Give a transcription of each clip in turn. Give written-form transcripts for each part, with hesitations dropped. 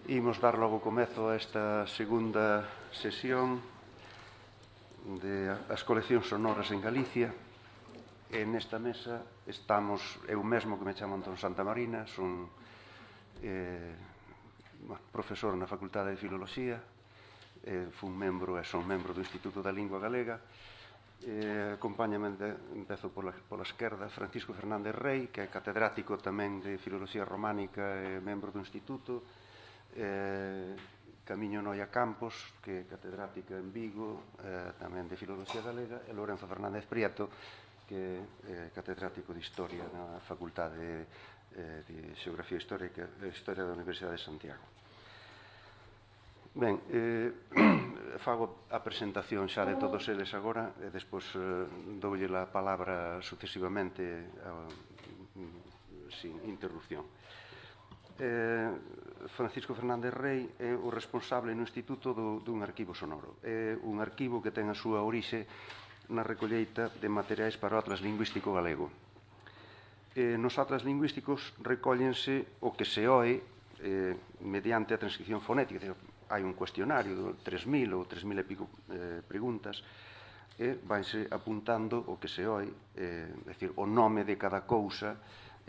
Imos dar logo comezo a esta segunda sesión de as coleccións sonoras en Galicia. E nesta mesa estamos eu mesmo, que me chamo Antón Santamarina, son profesor na Facultade de Filoloxía, son membro do Instituto da Lingua Galega. Acompáñame, empezo pola esquerda, Francisco Fernández Rei, que é catedrático tamén de Filoloxía Románica e membro do Instituto. Camiño Noia Campos, que é catedrática en Vigo, tamén de Filoloxía Galega, e Lorenzo Fernández Prieto, que é catedrático de Historia na Facultade de Xeografía Histórica e Historia da Universidade de Santiago. Ben, fago a presentación xa de todos eles agora e despois doulle a palabra sucesivamente sin interrupción. Francisco Fernández Rei é o responsable no Instituto dun arquivo sonoro. É un arquivo que ten a súa orixe na recolleita de materiais para o Atlas Lingüístico Galego. Nos atlas lingüísticos recóllense o que se oe mediante a transcripción fonética. Hai un cuestionario de 3.000 ou 3.000 e pico preguntas e vanse apuntando o que se oe, é dicir, o nome de cada cousa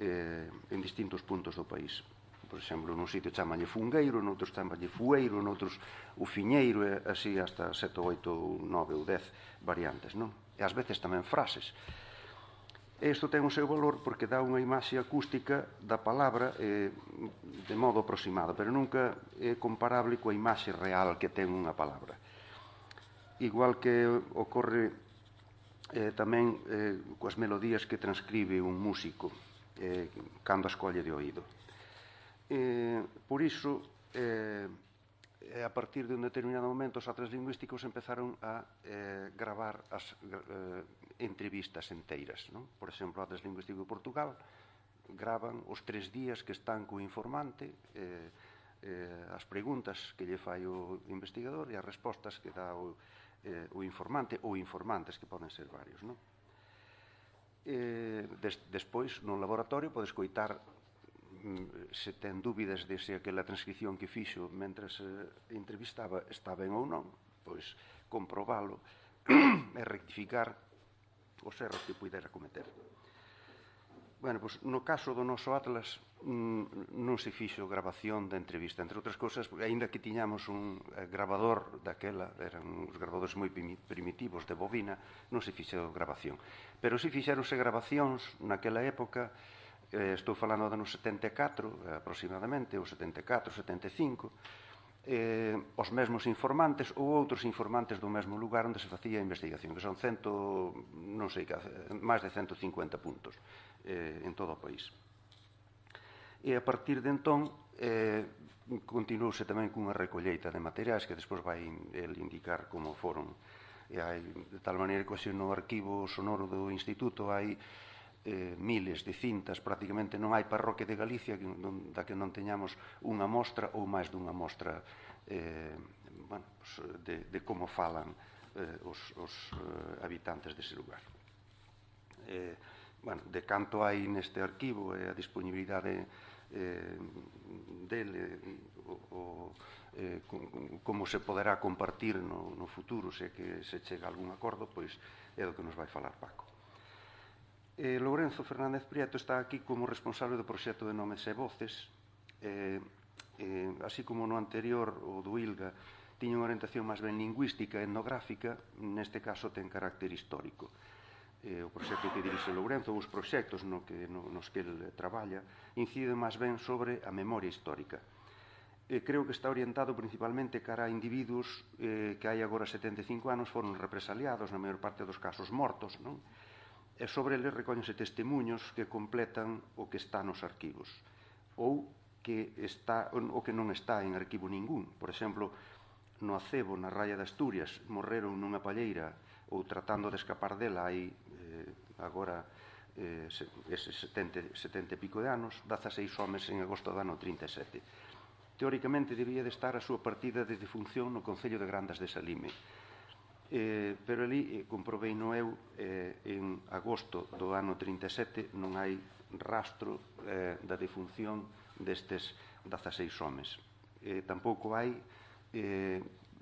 en distintos puntos do país. Por exemplo, nun sitio chamanlle fungueiro, noutros chamanlle fueiro, noutros o fiñeiro, e así hasta 7, 8, 9 ou 10 variantes, non? E ás veces tamén frases. Isto ten o seu valor porque dá unha imaxe acústica da palabra de modo aproximado, pero nunca é comparable coa imaxe real que ten unha palabra. Igual que ocorre tamén coas melodías que transcribe un músico cando a escolle de oído. Por iso, a partir de un determinado momento, os atlas lingüísticos empezaron a gravar as entrevistas enteiras. Por exemplo, o Atlas Lingüístico de Portugal gravan os 3 días que están co informante, as preguntas que lle fai o investigador e as respostas que dá o informante ou informantes, que poden ser varios. Despois, no laboratorio, podes coitar, se ten dúbidas de se aquela transcripción que fixo mentres entrevistaba está ben ou non, pois comprobalo e rectificar os erros que pudera cometer. Bueno, pois no caso do noso atlas non se fixo grabación da entrevista, entre outras cousas, aínda que tiñamos un grabador daquela, eran uns grabadores moi primitivos de bobina, non se fixo grabación. Pero si fixeronse grabacións naquela época. Estou falando do ano 74, aproximadamente, ou 74, 75, os mesmos informantes ou outros informantes do mesmo lugar onde se facía a investigación, que son máis de 150 puntos en todo o país. E a partir de entón, continuouse tamén cunha recolleita de materiais que despois vai indicar como foron. De tal maneira que no arquivo sonoro do Instituto hai miles de cintas, prácticamente non hai parroquia de Galicia da que non teñamos unha mostra ou máis dunha mostra de como falan os habitantes dese lugar. De canto hai neste arquivo e a disponibilidade dele, como se poderá compartir no futuro se que se chega a algún acordo, pois é do que nos vai falar Paco. Lorenzo Fernández Prieto está aquí como responsable do proxecto de Nomes e Voces, así como no anterior, o do ILGA, tiña unha orientación máis ben lingüística e etnográfica, neste caso ten carácter histórico. O proxecto que dirixe Lorenzo, os proxectos nos que ele traballa, inciden máis ben sobre a memoria histórica. Creo que está orientado principalmente cara a individuos que hai agora 75 anos foron represaliados, na maior parte dos casos mortos, non? E sobre eles recóllense testemunhos que completan o que está nos arquivos ou o que non está en arquivo ningún. Por exemplo, no Acebo, na Raya de Asturias, morreron nunha palleira ou tratando de escapar dela hai agora eses 70 e pico de anos, 16 homes en agosto do ano 37. Teóricamente debía de estar a súa partida de defunción no Concello de Grandas de Salime. Pero ali, comprobei no eu, en agosto do ano 37 non hai rastro da defunción destes 16 homes. Tampouco hai,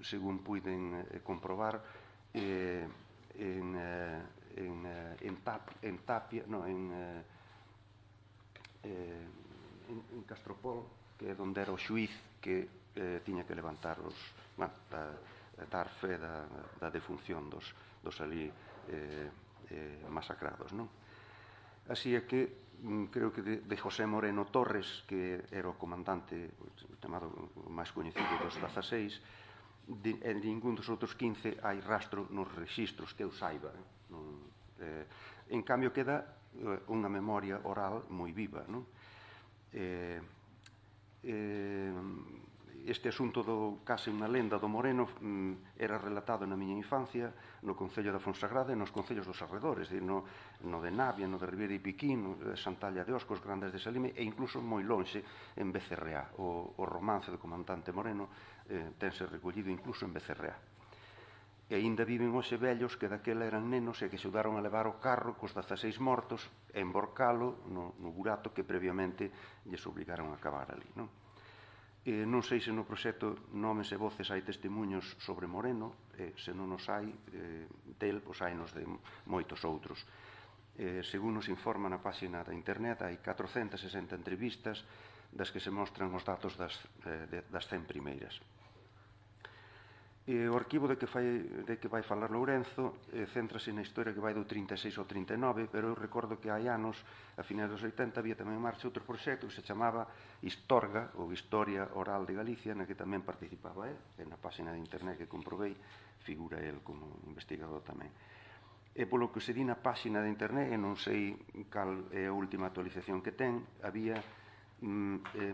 según puiden comprobar, en Tapia, en Castropol, que é onde era o xuiz que tiña que levantar dar fe da defunción dos ali masacrados, non? Así é que creo que de José Moreno Torres, que era o comandante chamado o máis coñecido dos 16, en ningún dos outros 15 hai rastro nos rexistros que eu saiba. En cambio queda unha memoria oral moi viva, non? Este asunto do case unha lenda do Moreno era relatado na miña infancia no Concello da Fonsagrada e nos concellos dos arredores, no de Navia, no de Ribeira e Piquín, no de Santalla de Oscos, Grandes de Salime e incluso moi lonxe en Becerreá. O romance do comandante Moreno tense recollido incluso en Becerreá. E aínda viven hoxe vellos que daquela eran nenos e que xudaron a levar o carro cos 16 mortos e emborcalo no burato que previamente lles obligaron a cavar ali, non? Non sei se no proxecto Nomes e Voces hai testemunhos sobre Moreno, se non os hai del, pois hai nos de moitos outros. Según nos informa na páxina da internet, hai 460 entrevistas das que se mostran os datos das 100 primeiras. O arquivo de que vai falar Lourenzo céntrase na historia que vai do 36 ao 39, pero eu recordo que hai anos, a finais dos 80, había tamén en marcha outro proxecto que se chamaba Historga, ou Historia Oral de Galicia, na que tamén participaba e na páxina de internet que comprobei figura el como investigador tamén. E polo que se di na páxina de internet, e non sei cal é a última actualización que ten, había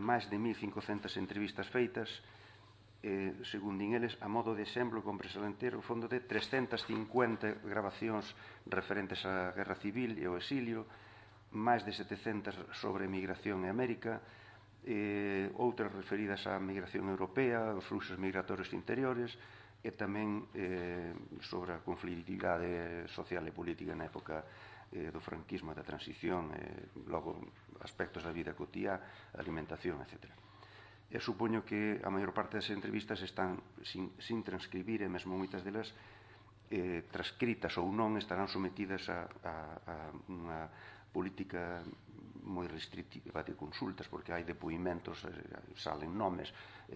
máis de 1500 entrevistas feitas, según din eles, a modo de exemplo, compres a entero o fondo de 350 grabacións referentes á Guerra Civil e ao exilio, máis de 700 sobre migración e América, outras referidas á migración europea, aos fluxos migratorios interiores, e tamén sobre a conflitividade social e política na época do franquismo e da transición, logo aspectos da vida cotiá, alimentación, etc. E supoño que a maior parte das entrevistas están sin transcribir e mesmo moitas delas transcritas ou non estarán sometidas a unha política moi restrictiva de consultas, porque hai depoimentos, salen nomes.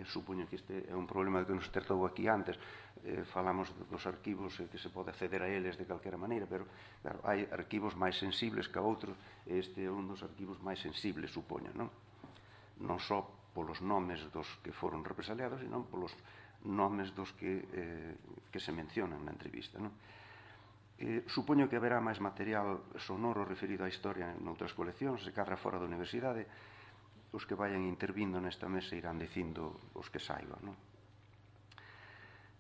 Supoño que este é un problema que nos tratou aquí antes. Falamos dos arquivos que se pode acceder a eles de calquera maneira, pero claro, hai arquivos máis sensibles que outros, e este é un dos arquivos máis sensibles, supoño, non? Non só polos nomes dos que foron represaliados, senón polos nomes dos que se mencionan na entrevista, non? Supoño que haberá máis material sonoro referido á historia noutras coleccións, se cadra fora da universidade. Os que vayan intervindo nesta mesa irán dicindo os que saiban, non?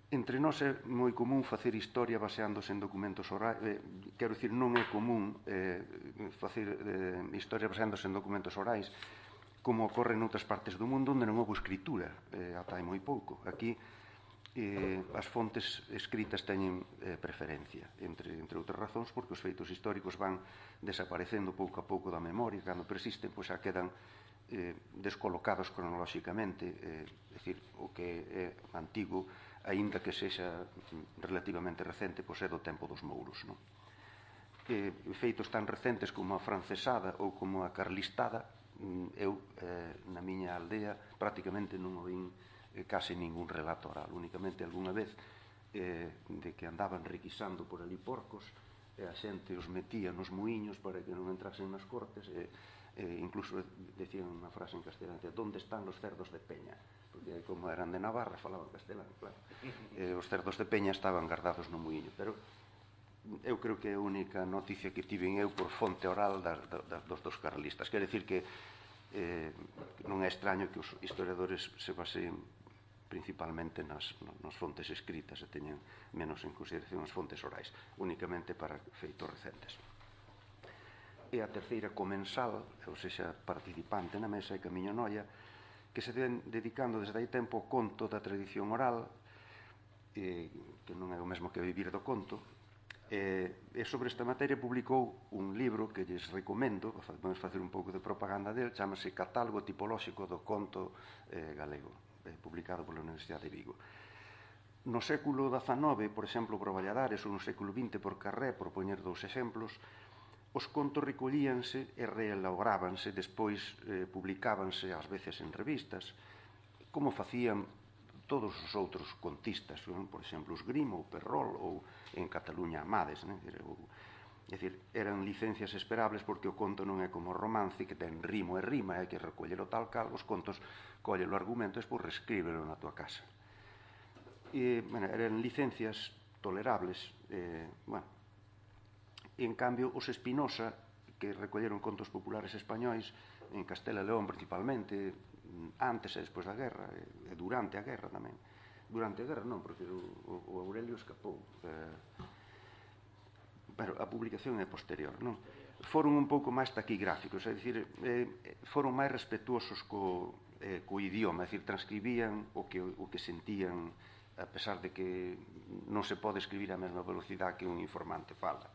Entre nós é moi común facer historia baseándose en documentos orais. Quero dicir, non é común facer historia baseándose en documentos orais, como ocorre noutras partes do mundo onde non houve escritura ata hai moi pouco. Aquí as fontes escritas teñen preferencia, entre outras razóns, porque os feitos históricos van desaparecendo pouco a pouco da memoria, cando persisten, pois xa quedan descolocados cronolóxicamente, é dicir, o que é antigo, aínda que sexa relativamente recente, pois é do tempo dos mouros, non? Feitos tan recentes como a francesada ou como a carlistada, eu na miña aldea prácticamente non oín case ningún relato oral, únicamente algunha vez de que andaban requisando por ali porcos e a xente os metía nos muiños para que non entrasen nas cortes, incluso decían unha frase en castelán, "Donde están los cerdos de Peña?", porque como eran de Navarra falaban castelán, claro. Os cerdos de Peña estaban guardados no muiño, pero eu creo que é a única noticia que tiven eu por fonte oral dos carlistas. Quer decir que non é extraño que os historiadores se baseen principalmente nas fontes escritas e teñen menos en consideración as fontes orais, únicamente para feitos recentes. E a terceira comensal, ou seja, participante na mesa, é Camiño Noia, que se ven dedicando desde hai tempo ao conto da tradición oral, que non é o mesmo que vivir do conto, e sobre esta materia publicou un libro que lles recomendo, vamos facer un pouco de propaganda del, chamase Catálogo Tipolóxico do Conto Galego. publicado pola Universidade de Vigo. No século XIX, por exemplo, por Valladares, ou no século XX por Carré, por poñer dous exemplos, os contos recollíanse e reelaborábanse, despois publicábanse ás veces en revistas, como facían todos os outros contistas, por exemplo, os Grimm ou Perrol, ou en Cataluña Amades, é dicir, eran licencias esperables porque o conto non é como o romance que ten rimo e rima, hai que recollelo tal cal, os contos colle o argumento e despois reescríbelo na tua casa. Eran licencias tolerables. En cambio, os Espinosa, que recolleron contos populares españois en Castela e León principalmente, antes e despois da guerra, e durante a guerra tamén. Durante a guerra non, porque o Aurelio escapou. Pero a publicación é posterior, non? Foron un pouco máis taquigráficos, é dicir, foron máis respetuosos co idioma, é dicir, transcribían o que sentían, a pesar de que non se pode escribir a mesma velocidade que un informante fala.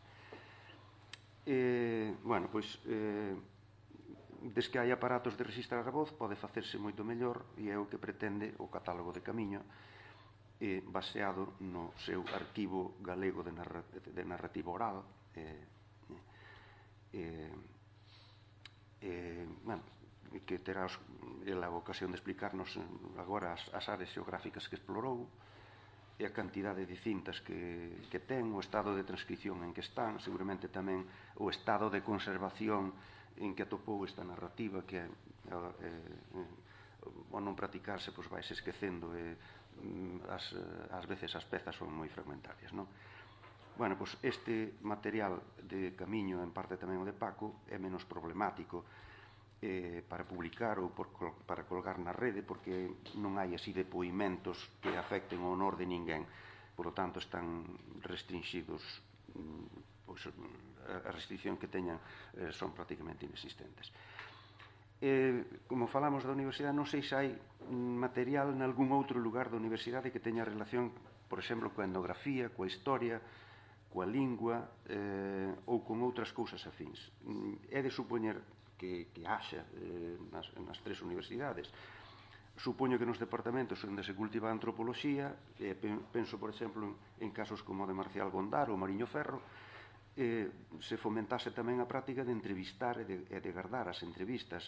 Bueno, pois, des que hai aparatos de registrar a voz, pode facerse moito mellor, e é o que pretende o catálogo de Camiño, baseado no seu arquivo galego de narrativa oral, que terá a ocasión de explicarnos agora as áreas xeográficas que explorou, e a cantidade de cintas que ten, o estado de transcripción en que están, seguramente tamén o estado de conservación en que atopou esta narrativa, que ao non practicarse, pois vais esquecendo, ás veces as pezas son moi fragmentarias, non? Bueno, pois este material de Camiño, en parte tamén o de Paco, é menos problemático para publicar ou para colgar na rede, porque non hai así depoimentos que afecten o honor de ninguén. Por lo tanto, están restringidos, pois a restricción que teñan son prácticamente inexistentes. Como falamos da universidade, non sei se hai material en algún outro lugar da universidade que teña relación, por exemplo, coa etnografía, coa historia, coa lingua ou con outras cousas afins. É de supoñer que haxa nas tres universidades. Supoño que nos departamentos onde se cultiva a antropoloxía, penso, por exemplo, en casos como o de Marcial Gondar ou Mariño Ferro, se fomentase tamén a práctica de entrevistar e de guardar as entrevistas.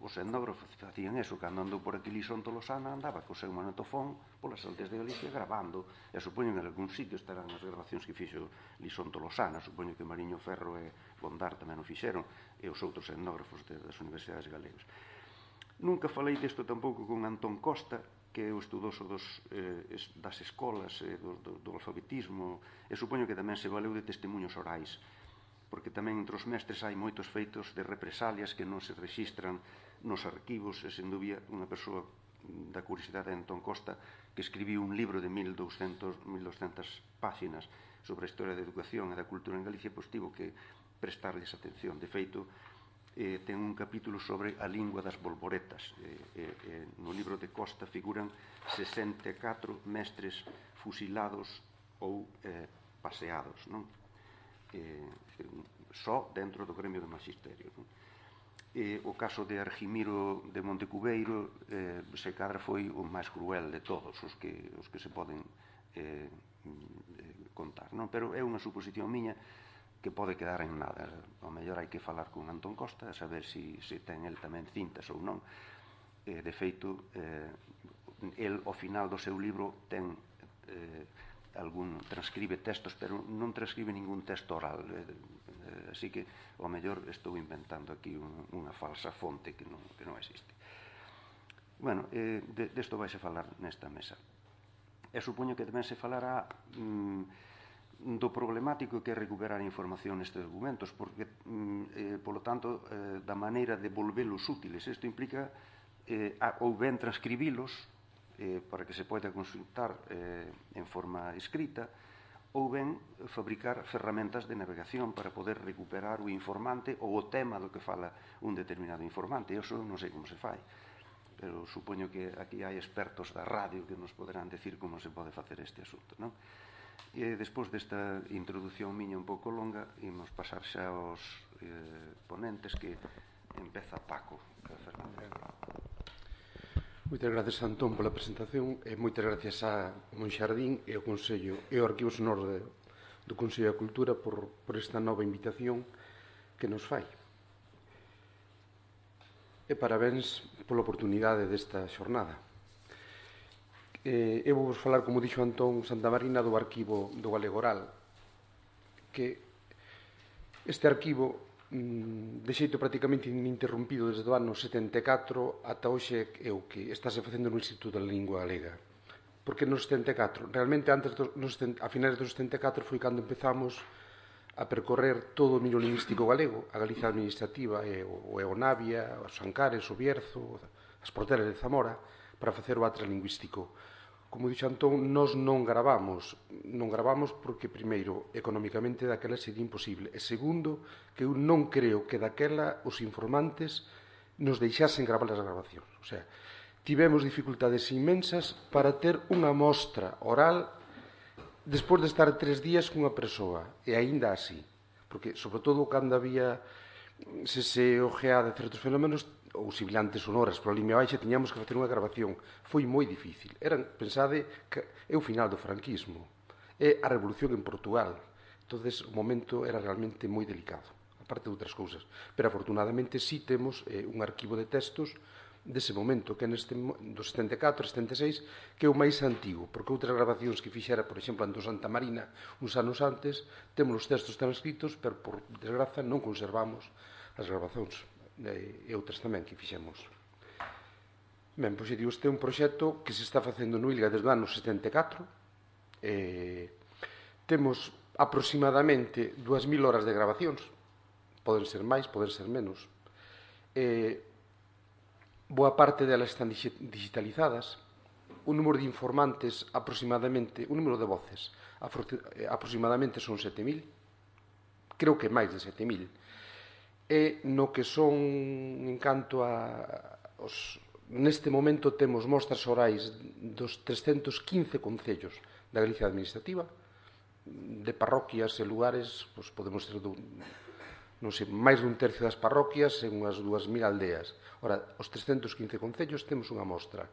Os etnógrafos facían eso, cando andou por aquí Lison Tolosana andaba co seu magnetofón polas aldeas de Galicia grabando, e supoño que en algún sitio estarán as grabacións que fixo Lison Tolosana, supoño que Mariño Ferro e Gondar tamén o fixeron, e os outros etnógrafos das universidades galegas. Nunca falei disto tampouco con Antón Costa, que é o estudoso das escolas, do alfabetismo, e supoño que tamén se valeu de testemunhos orais, porque tamén entre os mestres hai moitos feitos de represalias que non se rexistran nos arquivos, e sen dúbida unha persoa da curiosidade de Antón Costa que escribiu un libro de 1200 páxinas sobre a historia da educación e da cultura en Galicia, pois tivo que prestarles atención. De feito, ten un capítulo sobre a lingua das bolboretas. No libro de Costa figuran 64 mestres fusilados ou paseados, non? Só dentro do gremio do magisterio, non? O caso de Argimiro de Montecubeiro se cadra foi o máis cruel de todos os que se poden contar, non? Pero é unha suposición miña que pode quedar en nada. O mellor hai que falar con Antón Costa a saber se ten el tamén cintas ou non. De feito, el ao final do seu libro ten transcribe textos, pero non transcribe ningún texto oral, así que ao mellor estou inventando aquí unha falsa fonte que non existe. Bueno, desto vai se falar nesta mesa. E supoño que tamén se falará do problemático que é recuperar información nestes documentos, porque, polo tanto, da maneira de volvelos útiles. Isto implica ou ben transcribilos para que se poida consultar en forma escrita, ou ben fabricar ferramentas de navegación para poder recuperar o informante ou o tema do que fala un determinado informante. Eso non sei como se fai, pero supoño que aquí hai expertos da radio que nos poderán decir como se pode facer este asunto, non? E despois desta introducción miña un pouco longa, imos pasar xa aos ponentes, que empeza Paco Fernández. Moitas gracias, Antón, pola presentación e moitas gracias a Monxardín e ao Consello e ao Arquivo Sonoro do Consello da Cultura por esta nova invitación que nos fai. E parabéns pola oportunidade desta xornada. Eu vou falar, como dixo Antón Santamarina, do Arquivo do Galego Oral, que este arquivo de xeito prácticamente ininterrompido desde o ano 74 ata hoxe é o que estáse facendo no Instituto da Lingua Galega. Porque no 74, realmente a finais do 74 foi cando empezamos a percorrer todo o domínio lingüístico galego, a Galicia administrativa e o Navia, os Ancares, o Bierzo, as Porteras de Zamora, para facer o atlas lingüístico. Como dixo Antón, nós non gravamos porque, primeiro, económicamente daquela sería imposible, e segundo, que eu non creo que daquela os informantes nos deixasen gravar as grabacións. O sea, tivemos dificultades inmensas para ter unha mostra oral despois de estar 3 días cunha persoa, e aínda así, porque, sobre todo, cando había se ojeada certos fenómenos ou sibilantes sonoras pola línea baixa, tiñamos que facer unha grabación. Foi moi difícil. Pensade que é o final do franquismo, é a revolución en Portugal. Entonces, o momento era realmente moi delicado, aparte de outras cousas. Pero, afortunadamente, sí temos un arquivo de textos dese momento, que é do 74, 76, que é o máis antigo, porque outras grabacións que fixera, por exemplo, Antón Santamarina, uns anos antes, temos os textos transcritos, pero, por desgraza, non conservamos as grabacións e outras tamén que fixemos. Ben, pois, digo, este é un proxecto que se está facendo no ILGA desde o ano 74. Temos aproximadamente 2.000 horas de grabacións, poden ser máis, poden ser menos. Boa parte delas están digitalizadas. O número de informantes aproximadamente, o número de voces aproximadamente son 7.000, creo que máis de 7.000. E no que son, en canto neste momento temos mostras orais dos 315 concellos da Galicia administrativa, de parroquias e lugares, pois podemos ter non sei, máis dun tercio das parroquias e unhas 2.000 aldeas. Ora, os 315 concellos temos unha mostra,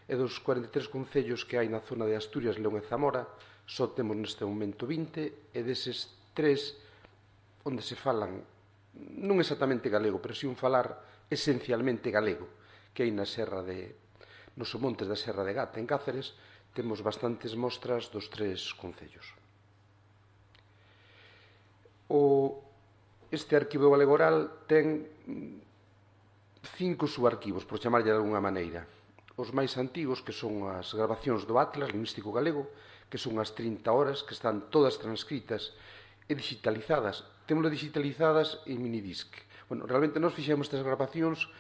e dos 43 concellos que hai na zona de Asturias, León e Zamora, só temos neste momento 20, e deses 3 onde se falan non exactamente galego, pero si un falar esencialmente galego, que hai nos montes da Serra de Gata, en Cáceres, temos bastantes mostras dos 3 concellos. Este arquivo galego oral ten 5 subarquivos, por chamarlle de alguna maneira. Os máis antigos, que son as grabacións do Atlas Lingüístico Galego, que son as 30 horas, que están todas transcritas e digitalizadas. Témolas digitalizadas en minidisc. Bueno, realmente nós fixemos estas grabacións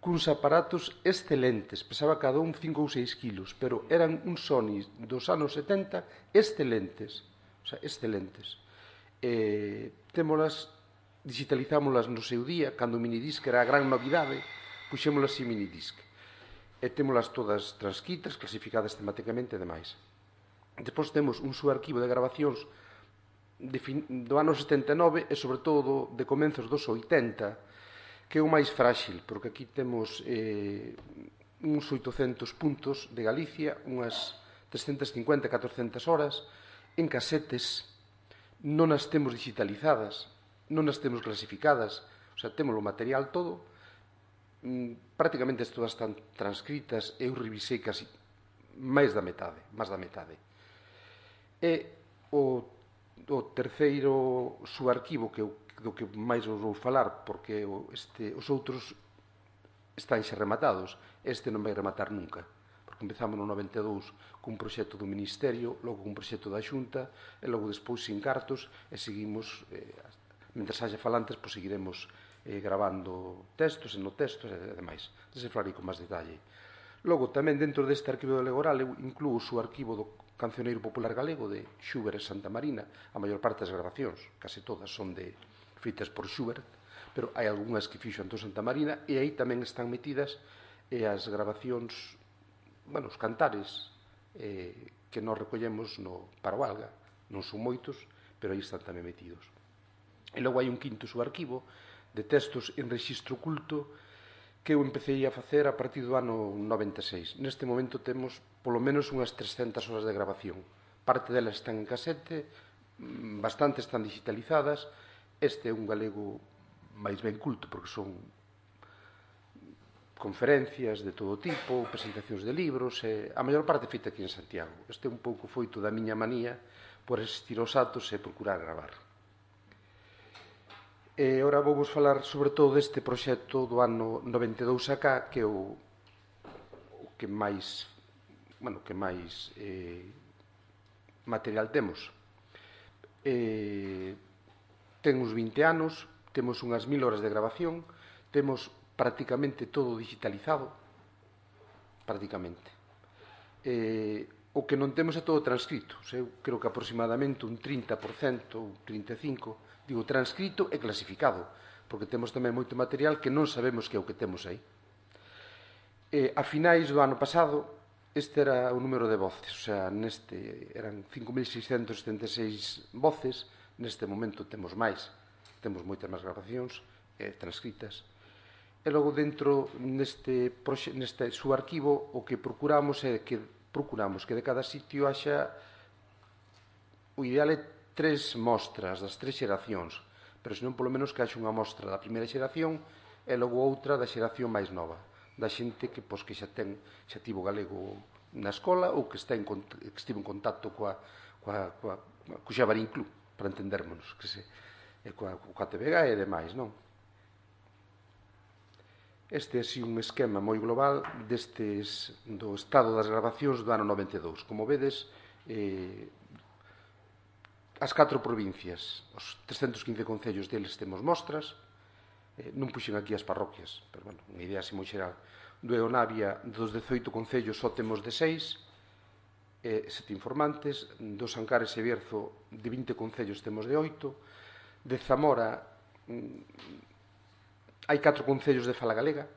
cuns aparatos excelentes. Pesaba cada un 5 ou 6 kilos, pero eran uns Sony dos anos 70 excelentes. O sea, excelentes. Digitalizámolas no seu día, cando o minidisc era a gran novidade, puxémolas en minidisc. E témolas todas transcritas, clasificadas tematicamente e demais. Despois temos un subarquivo de grabacións do ano 79 e, sobre todo, de comenzos dos 80, que é o máis frágil, porque aquí temos uns 800 puntos de Galicia, unhas 350, 400 horas, en casetes. Non as temos digitalizadas, non as temos clasificadas, o sea, temos o material todo, prácticamente todas están transcritas, eu revisei casi máis da metade. E o terceiro subarquivo, do que máis vos vou falar, porque os outros están xa rematados, este non vai rematar nunca, porque empezamos no 92 cun proxecto do Ministerio, logo cun proxecto da Xunta, e logo despois sin cartos, e seguimos, mentre haxa falantes, pois seguiremos gravando textos e no textos e demais. Dese falarei con máis detalle. Logo, tamén dentro deste arquivo galego oral, eu incluo o subarquivo do Cancioneiro Popular Galego de Schubert e Santamarina. A maior parte das grabacións, case todas, son feitas por Schubert, pero hai algunhas que fixo Antón Santamarina, e aí tamén están metidas as grabacións, os cantares que nós recollemos no Paroalga. Non son moitos, pero aí están tamén metidos. E logo hai un quinto subarquivo de textos en rexistro culto que eu empecé a facer a partir do ano 96. Neste momento temos polo menos unhas 300 horas de grabación. Parte delas están en casete, bastante están digitalizadas. Este é un galego máis ben culto, porque son conferencias de todo tipo, presentacións de libros, a maior parte feita aquí en Santiago. Este é un pouco foito da miña manía por asistir aos actos e procurar gravar. E ora vou vos falar sobre todo deste proxecto do ano 92 acá, que é o que máis material temos. Ten uns 20 anos, temos unhas 1000 horas de grabación, temos prácticamente todo digitalizado, prácticamente. O que non temos é todo transcrito. Eu creo que aproximadamente un 30% ou 35%, digo, transcrito e clasificado, porque temos tamén moito material que non sabemos que é o que temos aí. A finais do ano pasado, este era o número de voces, o sea, neste eran 5.676 voces, neste momento temos máis, temos moitas máis grabacións transcritas. E logo dentro neste subarquivo o que procuramos é que de cada sitio haxa, o ideal é 3 mostras das 3 xeracións, pero senón polo menos que haxa unha mostra da primeira xeración e logo outra da xeración máis nova, da xente que xa tivo galego na escola ou que estivo en contacto co Xabarín Club, para entendermonos, coa TVG e demais, non? Este é un esquema moi global do estado das grabacións do ano 92. Como vedes, as 4 provincias, os 315 concellos deles temos mostras, non puxen aquí as parroquias, pero, bueno, unha idea así moi xeral. Do Eonavia, dos 18 concellos, só temos de 6, 7 informantes. Do Sancares e Bierzo, de 20 concellos, temos de 8. De Zamora, hai 4 concellos de fala galega,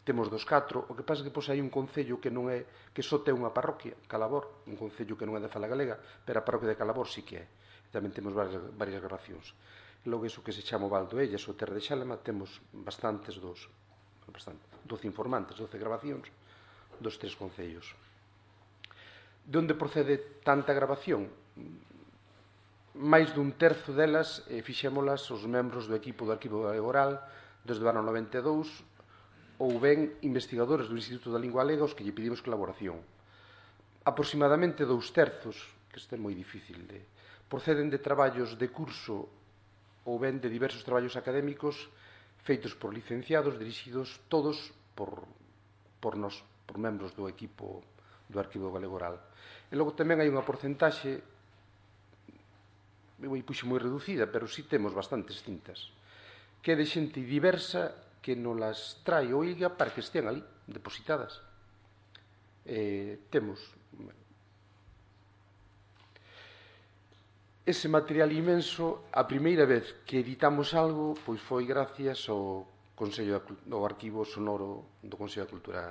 temos dos 4, o que pasa é que hai un concello que só ten unha parroquia, Calabor, un concello que non é de fala galega, pero a parroquia de Calabor sí que é. Tamén temos varias grabacións. Logo, iso que se chama o Val do Ellas ou Terra de Xalema, temos bastantes 12 informantes, 12 grabacións dos 3 concellos. De onde procede tanta grabación? Máis dun terzo delas fixémolas os membros do equipo do Arquivo Oral desde o ano 92, ou ben investigadores do Instituto da Lingua Galega os que lle pedimos colaboración. Aproximadamente 2 terzos, que isto é moi difícil proceden de traballos de curso ou ben de diversos traballos académicos feitos por licenciados, dirixidos todos por nós, por membros do equipo do Arquivo Galego Oral. E logo tamén hai unha porcentaxe, eu puxo moi reducida, pero si temos bastantes cintas, que é de xente diversa que nos las trae o ILGA para que estean ali, depositadas. Temos ese material inmenso. A primeira vez que editamos algo pois foi gracias ao Arquivo Sonoro do Consello da Cultura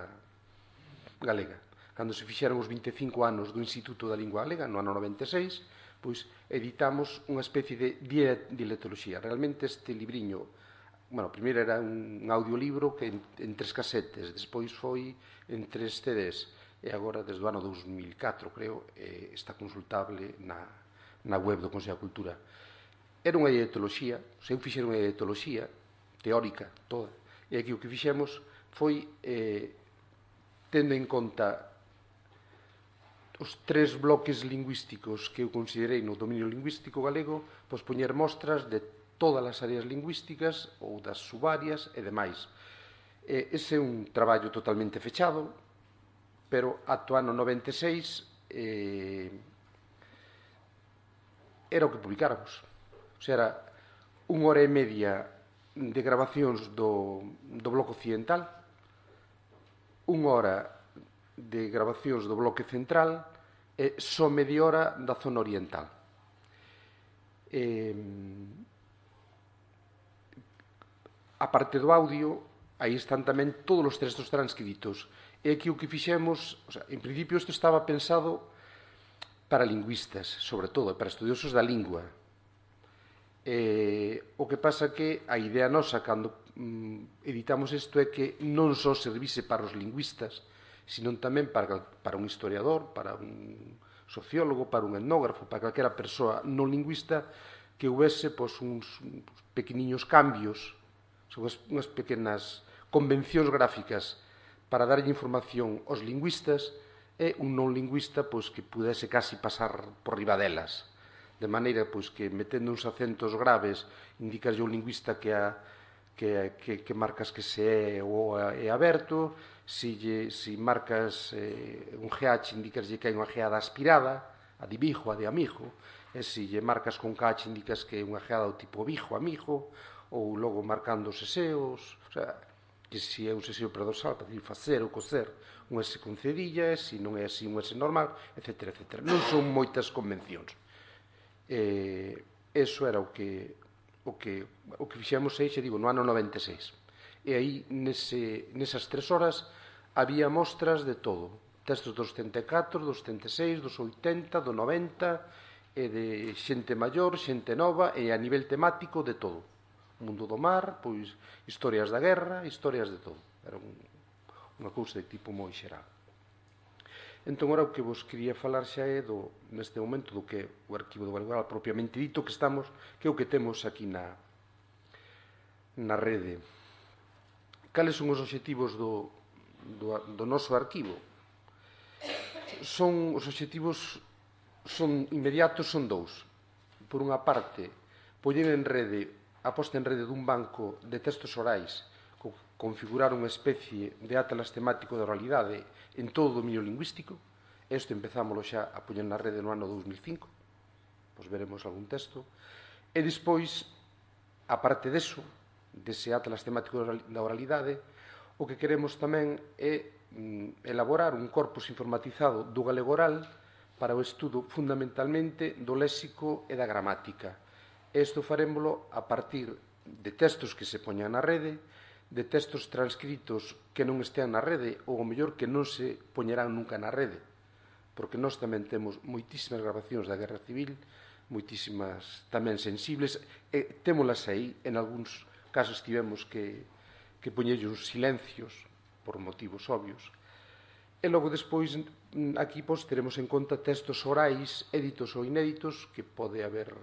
Galega. Cando se fixeron os 25 anos do Instituto da Lingua Galega, no ano 96, pois editamos unha especie de dialectoloxía. Realmente este libriño, primeiro era un audiolibro que en 3 casetes, despois foi en 3 CDs, e agora, desde o ano 2004, creo, está consultable na web do Consello da Cultura. Era unha dialectoloxía, eu fixeron unha dialectoloxía teórica toda, e aquí o que fixemos foi, tendo en conta os 3 bloques lingüísticos que eu considerei no dominio lingüístico galego, pois poñer mostras de todas as áreas lingüísticas ou das subáreas e demais. Ese é un traballo totalmente fechado, pero ata o ano 96 era o que publicáramos. O sea, era 1 hora e media de grabacións do bloque occidental, 1 hora de grabacións do bloque central e só media hora da zona oriental. A parte do audio, aí están tamén todos os textos transcritos. E aquí o que fixemos, en principio isto estaba pensado para lingüistas, sobre todo, para estudiosos da lingua. O que pasa que a idea nosa, cando editamos isto é que non só servise para os lingüistas, sino tamén para un historiador, para un sociólogo, para un etnógrafo, para calquera persoa non lingüista que houvese uns pequeniños cambios, unhas pequenas convencións gráficas para darlle información aos lingüistas e un non lingüista que pudese casi pasar por riba delas, de maneira que metendo uns acentos graves indicarlle ao lingüista que marcas que se é ou é aberto, se marcas un GH indicarlle que hai unha geada aspirada, a de bijo, a de amigo, e se lle marcas con KH indicas que é unha geada do tipo bijo, amigo, ou logo marcando os seseos, o sea, que se é un seseo predorsal para decir facer ou coser, un S con cedilla, se non é así un S normal, etc. Non son moitas convencións. Eso era o que fixemos no ano 96. E aí, nesas 3 horas, había mostras de todo. Textos dos 74, dos 76, dos 80, do 90, e de xente maior, xente nova, e a nivel temático de todo. O mundo do mar, historias da guerra, historias de todo. Era unha cousa de tipo moi xeral. Entón, agora o que vos quería falar xa é neste momento do que o arquivo do Galegoral propiamente dito que é o que temos aquí na rede. Cales son os obxectivos do noso arquivo? Os obxectivos inmediatos son 2. Por unha parte, poñer en rede a posta en rede dun banco de textos orais, configurar unha especie de atlas temático da oralidade en todo o dominio lingüístico. Isto empezámoslo xa a poñer na rede no ano 2005, veremos algún texto. E despois, a parte deso, dese atlas temático da oralidade, o que queremos tamén é elaborar un corpus informatizado do galego oral para o estudo fundamentalmente do léxico e da gramática. Isto farémolo a partir de textos que se poñan na rede, de textos transcritos que non estean na rede ou, ao mellor, que non se poñerán nunca na rede, porque nós tamén temos moitísimas grabacións da Guerra Civil, moitísimas tamén sensibles, e témolas aí, en algúns casos tivemos que poñerlle uns silencios por motivos obvios. E logo despois, aquí teremos en conta textos orais, éditos ou inéditos, que pode haber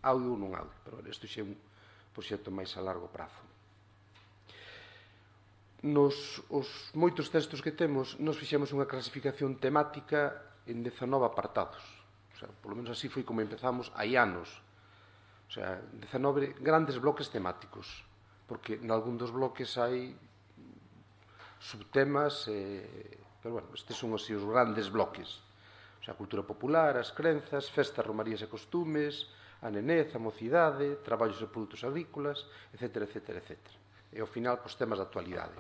audio ou non audio, pero isto xa é un proxecto máis a largo prazo. Os moitos textos que temos, nos fixemos unha clasificación temática en 19 apartados. Polo menos así foi como empezamos hai anos. 19 grandes bloques temáticos, porque nalgún dos bloques hai subtemas, pero, estes son os grandes bloques. A cultura popular, as crenzas, festas, romarías e costumes, a nenez, a mocidade, traballos e produtos agrícolas, etc. E, ao final, temas de actualidade.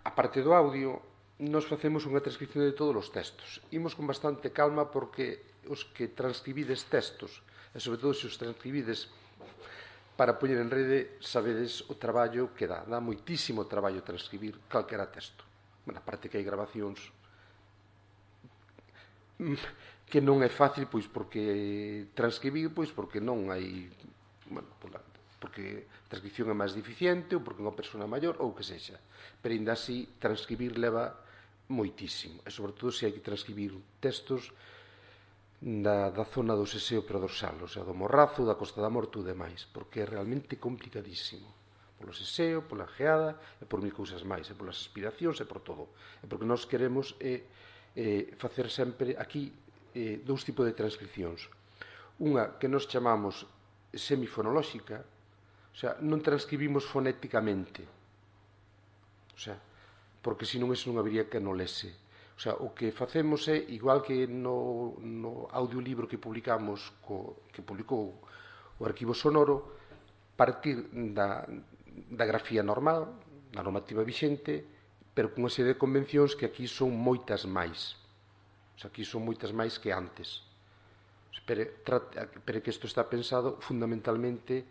A parte do audio, nos facemos unha transcripción de todos os textos. Imos con bastante calma porque os que transcribides textos, e sobre todo se os transcribides para poñer en rede, sabedes o traballo que dá. Dá moitísimo traballo transcribir calquera texto. A parte que hai grabacións que non é fácil, porque transcribir, porque non hai, porque a transcripción é máis deficiente, ou porque unha persona maior, ou que sexa. Pero, ainda así, transcribir leva moitísimo. E, sobre todo, se hai que transcribir textos da zona do seseo predorsal, do Morrazo, da Costa da Morte ou demais, porque é realmente complicadísimo. Polo seseo, pola geada, e por mil cousas máis, e polas aspiracións, e por todo. E porque nós queremos facer sempre aquí 2 tipos de transcripcións. Unha que nos chamamos semifonolóxica, non transcribimos fonéticamente, porque senón eso non habería que non lese. O que facemos é, igual que no audiolibro que publicamos, que publicou o Arquivo Sonoro, partir da grafía normal, da normativa vixente, pero con unha serie de convencións que aquí son moitas máis. Aquí son moitas máis que antes. Pero que isto está pensado fundamentalmente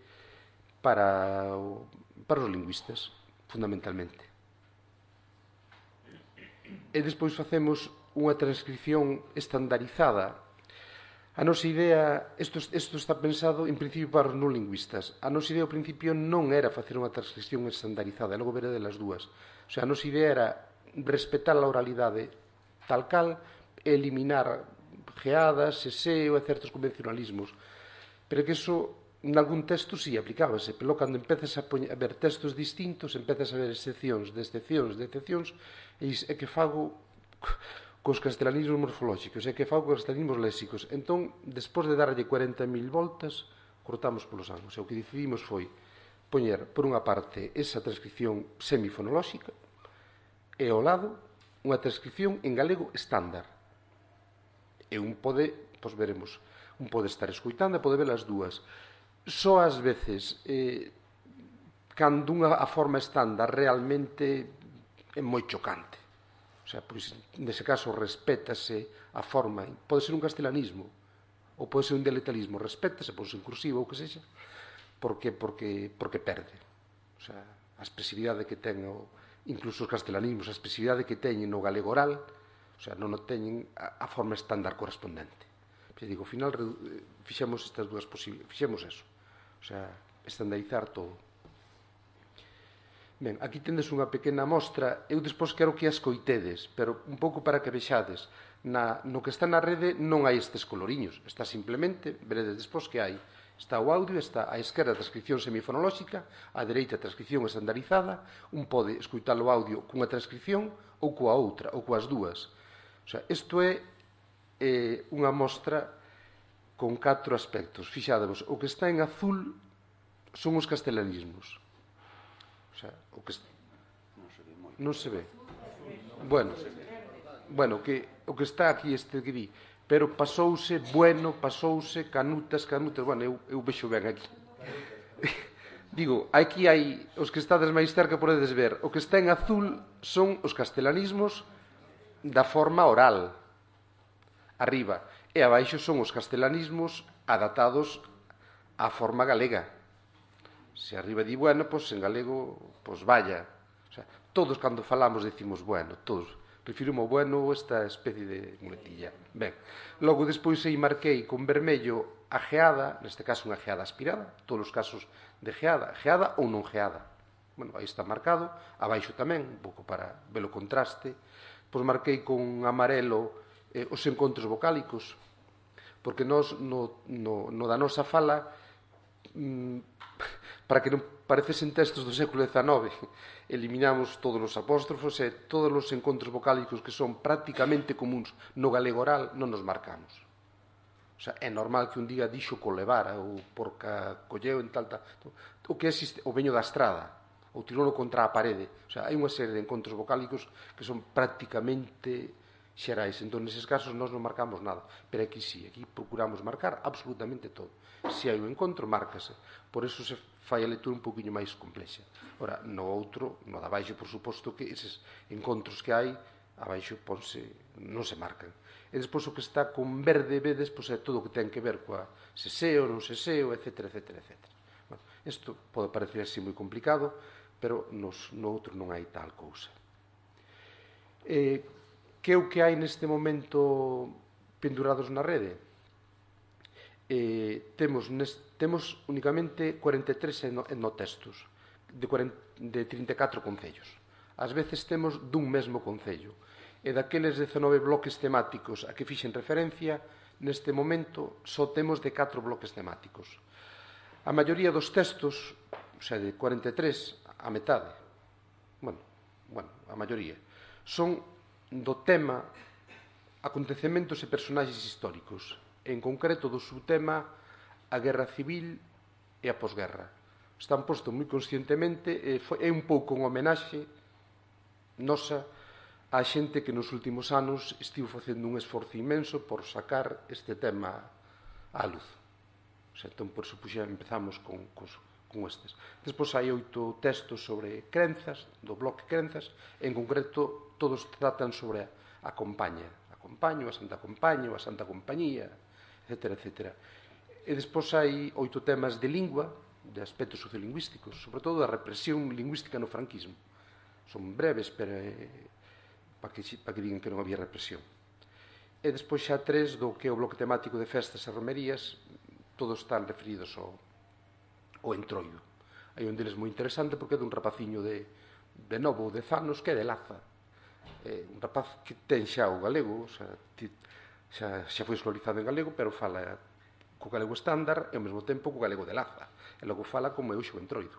para os lingüistas, fundamentalmente. E despois facemos unha transcripción estandarizada A nosa idea, isto está pensado en principio para os non lingüistas. A nosa idea ao principio non era facer unha transcripción estandarizada, e logo veré delas dúas. O sea, a nosa idea era respetar a oralidade tal cal, eliminar geadas, seseo e certos convencionalismos. Pero que iso, en algún texto, sí, aplicábase. Pero cando empezas a ver textos distintos, empezas a ver excepcións, de excepcións, e que fago cos castelanismos morfolóxicos, e que fago cos castelanismos léxicos. Entón, despois de darlle 40.000 voltas, cortamos polos ángulos. E o que decidimos foi poñer, por unha parte, esa transcripción semifonolóxica, e ao lado, unha transcripción en galego estándar. E un pode, pois veremos, un pode estar escoitando e pode ver as dúas. Só ás veces, cando a forma estándar realmente é moi chocante. O sea, pois, nese caso, respétase a forma. Pode ser un castelanismo, ou pode ser un dialectalismo. Respétase, pode ser en cursiva ou que sexa, porque perde. O sea, a expresividade que ten, incluso os castelanismos, a expresividade que teñen no galego oral, o sea, non teñen a forma estándar correspondente. Pero, digo, ao final, fixemos estas dúas posibles, fixemos eso. O sea, estandarizar todo. Ben, aquí tendes unha pequena mostra. Eu despois quero que as coitedes, pero un pouco para que vexades. No que está na rede non hai estes coloriños. Está simplemente, veredes despois que hai. Está o audio, está á esquerda a transcripción semifonolóxica, á dereita a transcripción estandarizada. Un pode escoitar o audio cunha transcripción ou coa outra, ou coas dúas. O sea, isto é unha mostra con 4 aspectos. Fixádevos, o que está en azul son os castelanismos. O sea, o que non se ve. Bueno, o que está aquí este que di, pero pasouse bueno, pasouse canutas, bueno, eu vexo ben aquí. Digo, aquí hai os que estades máis cerca podedes ver, o que está en azul son os castelanismos da forma oral, arriba, e abaixo son os castelanismos adaptados á forma galega. Se arriba di bueno, pois en galego, pois vaya. O sea, todos cando falamos decimos bueno, todos. Refirimo bueno esta especie de muletilla. Ben, logo despois aí marquei con vermello a geada, neste caso unha geada aspirada, todos os casos de geada ou non geada. Bueno, aí está marcado, abaixo tamén, un pouco para ver o contraste. Pois marquei con amarelo os encontros vocálicos, porque nós no da nosa fala, para que non parecesen textos do século XIX, eliminamos todos os apóstrofos e todos os encontros vocálicos que son prácticamente comuns no galego oral non nos marcamos. O sea, é normal que un diga dixo colevara ou porca colleu en tal. O que existe, o veño da estrada, ou tirono contra a parede. O sea, hai unha serie de encontros vocálicos que son prácticamente xerais. Entón, neses casos, nós non marcamos nada. Pero aquí sí, aquí procuramos marcar absolutamente todo. Se hai un encontro, márcase. Por eso se fai a lectura un poquinho máis complexa. Ora, no outro, no de abaixo, por suposto que eses encontros que hai, abaixo non se marcan. E despois o que está con verde, vedes, pois é todo o que ten que ver coa seseo, non seseo, etc. Bueno, isto pode parecer así moi complicado, pero no outro non hai tal cousa. Que é o que hai neste momento pendurados na rede? Temos únicamente 43 etnotextos de 34 concellos. Ás veces temos dun mesmo concello. E daqueles 19 bloques temáticos a que fixen referencia, neste momento só temos de 4 bloques temáticos. A maioría dos textos, o sea, de 43, a metade, bueno, a maioría, son do tema acontecementos e personaxes históricos, en concreto do subtema a guerra civil e a posguerra. Están postos moi conscientemente, é un pouco un homenaxe nosa a xente que nos últimos anos estivo facendo un esforzo inmenso por sacar este tema á luz. O sea, entón, por eso empezamos con estes. Despois hai 8 textos sobre crenzas, do bloque crenzas, en concreto todos tratan sobre a compaña, a Santa Compaña, ou a Santa Compañía, etc. E despois hai 8 temas de lingua, de aspectos sociolingüísticos, sobre todo da represión lingüística no franquismo. Son breves, pero para que digan que non había represión. e despois xa 3 do que é o bloque temático de festas e romerías, todos están referidos ao Entroido. Hai un deles moi interesante porque é dun rapaciño de novo ou 10 anos que é de Laza. É un rapaz que ten xa o galego, xa foi escolarizado en galego, pero fala co galego estándar e ao mesmo tempo co galego de Laza. E logo fala como é o Entroido.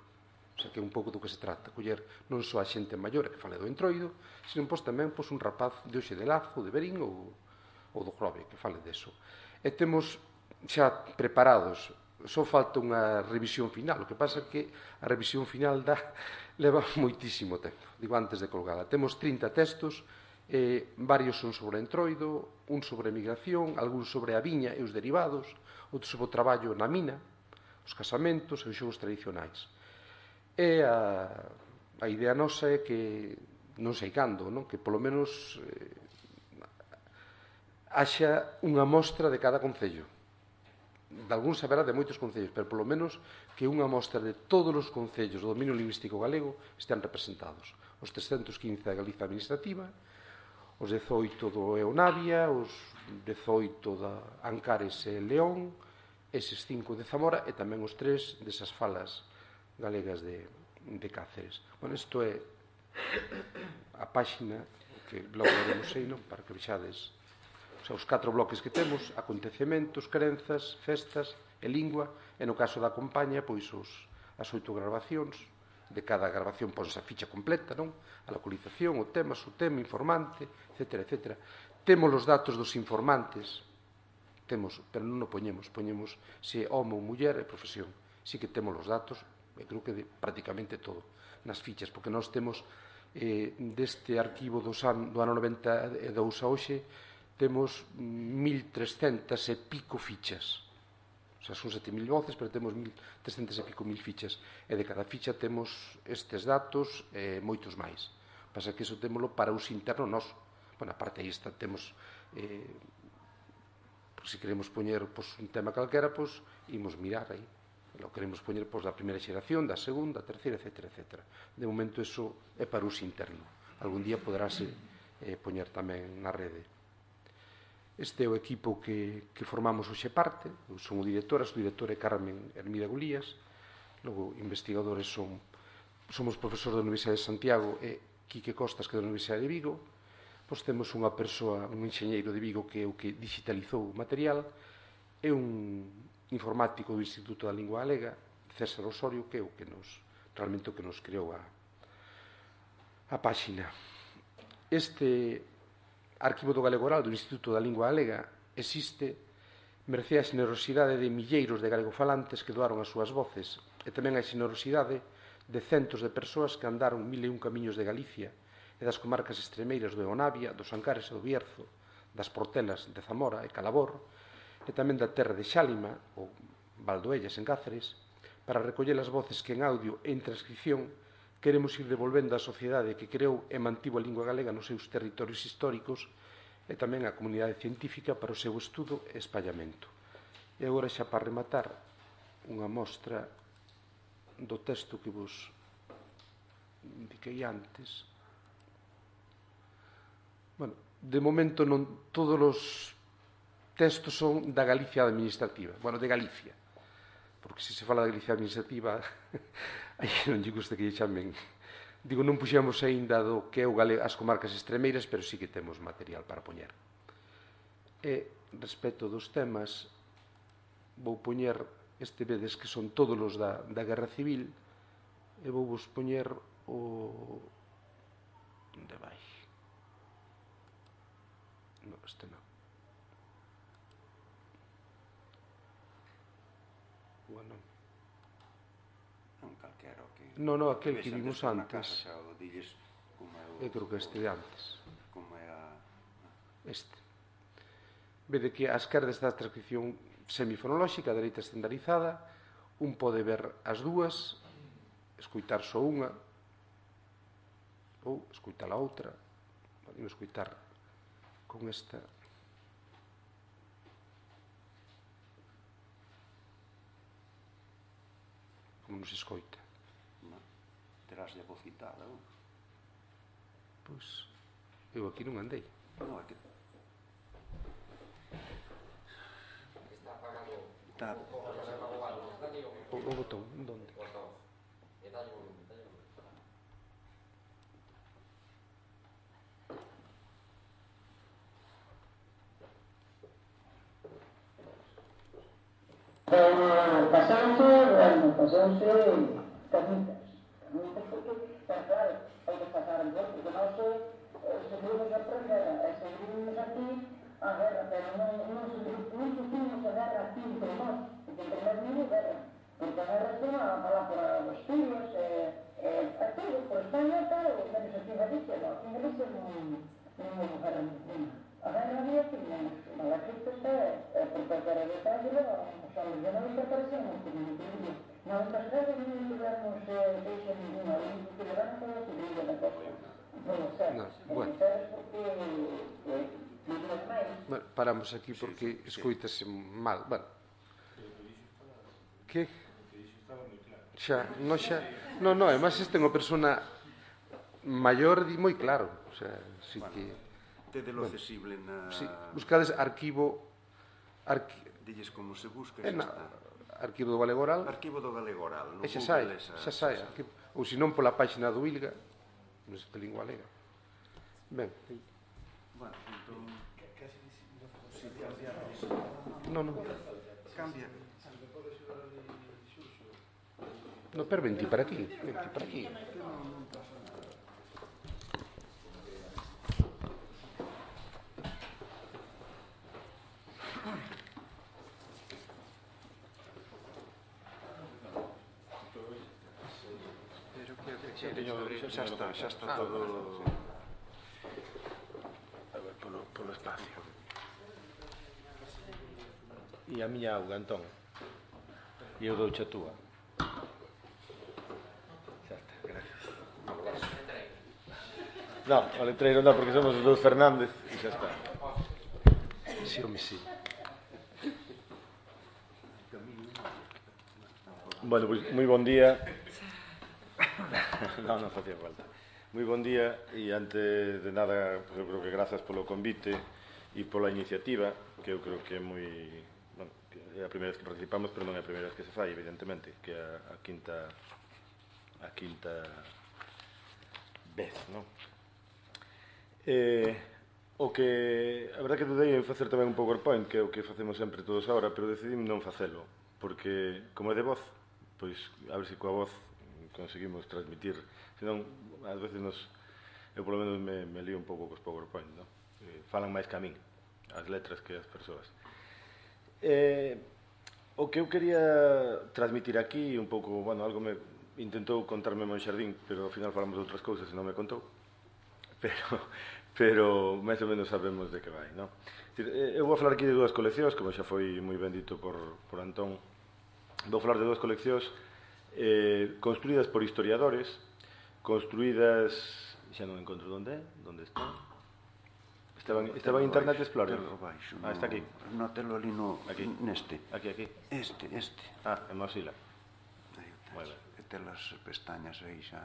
O sea, que é un pouco do que se trata, coller non só a xente maior que fale do Entroido, sino tamén un rapaz de hoxe de Lazo, de Verín ou do Grove, que fale deso. E temos xa preparados, só falta unha revisión final, o que pasa é que a revisión final leva moitísimo tempo, digo antes de colgala. Temos 30 textos, varios son sobre Entroido, un sobre migración, algún sobre a viña e os derivados, outro sobre o traballo na mina, os casamentos e os xogos tradicionais. E a idea nosa é que, non sei cando, que polo menos haxa unha mostra de cada concello. De algún saberá de moitos concellos, pero polo menos que unha mostra de todos os concellos do dominio lingüístico galego estean representados. Os 315 da Galiza Administrativa, os 18 do Eonavia, os 18 da Ancares e León, eses 5 de Zamora e tamén os 3 desas falas galegas de Cáceres. Bueno, isto é a páxina que logo veremos aí, para que vexades os 4 bloques que temos: acontecementos, crenzas, festas e lingua, e no caso da compañía, pois as 8 grabacións. De cada grabación ponse a ficha completa, a localización, o tema, informante, etc. Temos os datos dos informantes, pero non o poñemos se é home ou muller e profesión. Si que temos os datos, creo que de prácticamente todo nas fichas, porque nós temos deste arquivo do ano 92 a hoxe, temos 1.300 e pico fichas. O sea, son 7.000 voces, pero temos 1.300 e pico mil fichas. E de cada ficha temos estes datos e moitos máis. Pasa que iso témolo para uso interno noso. Bueno, aparte aí temos, se queremos poñer un tema calquera, imos mirar aí. Lo queremos poñer da primeira xeración, da segunda, terceira, etc. De momento iso é para uso interno. Algún día poderase poñer tamén na rede. Este é o equipo que formamos hoxe parte. Eu son o director, a subdirectora é Carmen Hermida Golías. Logo, investigadores somos profesor da Universidade de Santiago e Quique Costas, que é da Universidade de Vigo. Pois temos unha persoa, un enxeñeiro de Vigo, que é o que digitalizou o material, e un informático do Instituto da Lingua Galega, César Osorio, que é o que realmente o que nos creou a páxina. Este Arquivo do Galego Oral do Instituto da Lingua Galega existe mercé a xenerosidade de milleiros de galegofalantes que doaron as súas voces, e tamén a xenerosidade de centos de persoas que andaron 1001 camiños de Galicia e das comarcas extremeiras do Eonavia, dos Ancares e do Bierzo, das Portelas de Zamora e Calabor, e tamén da terra de Xálima, ou Valdoellas en Cáceres, para recoller as voces que en audio e en transcripción queremos ir devolvendo á sociedade que creou e mantivo a lingua galega nos seus territorios históricos e tamén á comunidade científica para o seu estudo e espallamento. E agora, xa para rematar, unha mostra do texto que vos indiquei antes. Bueno, de momento non todos os textos son da Galicia administrativa, de Galicia, porque se fala da Galicia administrativa aí non lle gusta que lle chamen. Digo, non puxemos aínda do que é as comarcas extremeiras, pero sí que temos material para poñer. E respecto dos temas, vou poñer vedes que son todos os da Guerra Civil, e vou vos poñer o... onde vai? Non, este non. Bueno. Non calquera o que... Non, aquel que vimos antes. Eu creo que este de antes. Como é a... Este. Vede que a esquerda está a transcripción semifonolóxica, a dereita estandarizada. Un pode ver as dúas, escoitar só unha, ou escoitar a outra. Podemos escoitar con esta... como nos escoita. Terás de vocitada, ou? Pois, eu aquí non andei. Non, é que... Está... O botón, onde? Pasouse camitas porque, claro, hai que pasar en porque nós seguimos a prendera e seguimos aquí a guerra, pero non sufrimos a guerra aquí entre nós, porque entre nós non hai guerra, porque a guerra está a por os fillos, a todo, por España, claro, menos aquí en Galicia, no, aquí en Galicia non houve guerra ninguna. A guerra había que non la Cristo está, porque a guerra de Tangelo, os anos de 90 parecemos que non tuvimos. Non, nas guerras non tivemos deixa ninguna, o único que levaron foi a civil da costa. Non sei, bueno. Bueno, paramos aquí porque escoítase mal. Bueno. Que? Xa, non xa... Non, además este é unha persona maior e moi claro. O sea, sí que... Tedelo accesible na... Sí, buscades arquivo... Dilles como se busca e xa está. Arquivo do Galegoral. Arquivo do Galegoral. E xa sai. Ou senón pola páxina do ILGA, non sei de lingua galega. Ben. Bueno, entón... Non. Cambia. No, pero venti para aquí. Xa está todo... A ver, polo espacio. E a miña auga, Antón. E eu douche a túa. Xa está, gracias. Non, o letreiro non, porque somos os dous Fernández e xa está. Sí, home, sí. Bueno, pois moi bon día. Non facía falta. Moi bon día e antes de nada, eu creo que grazas polo convite e pola iniciativa, que eu creo que é moi... Bueno, é a primeira vez que participamos, pero non é a primeira vez que se fai, evidentemente, que é a quinta vez, non? O que... A verdade que dudei en facer tamén un PowerPoint, que é o que facemos sempre todos agora, pero decidí non facelo, porque, como é de voz, pois, a ver se coa voz conseguimos transmitir, senón, ás veces eu polo menos me lío un pouco cos PowerPoint, non? Falan máis que a min, as letras que as persoas. O que eu quería transmitir aquí, un pouco, bueno, algo me intentou contarme Monxardín, pero ao final falamos de outras cousas e non me contou, pero máis ou menos sabemos de que vai, non? Eu vou falar aquí de dúas coleccións, como xa foi moi ben dito por Antón. Vou falar de dúas coleccións construídas por historiadores, construídas... Xa non encontro onde están. Estaba en Internet Explorer. Está aquí. No, telo ali neste. Aquí. Este. En Mozilla. Moi ben. E tes as pestañas aí xa...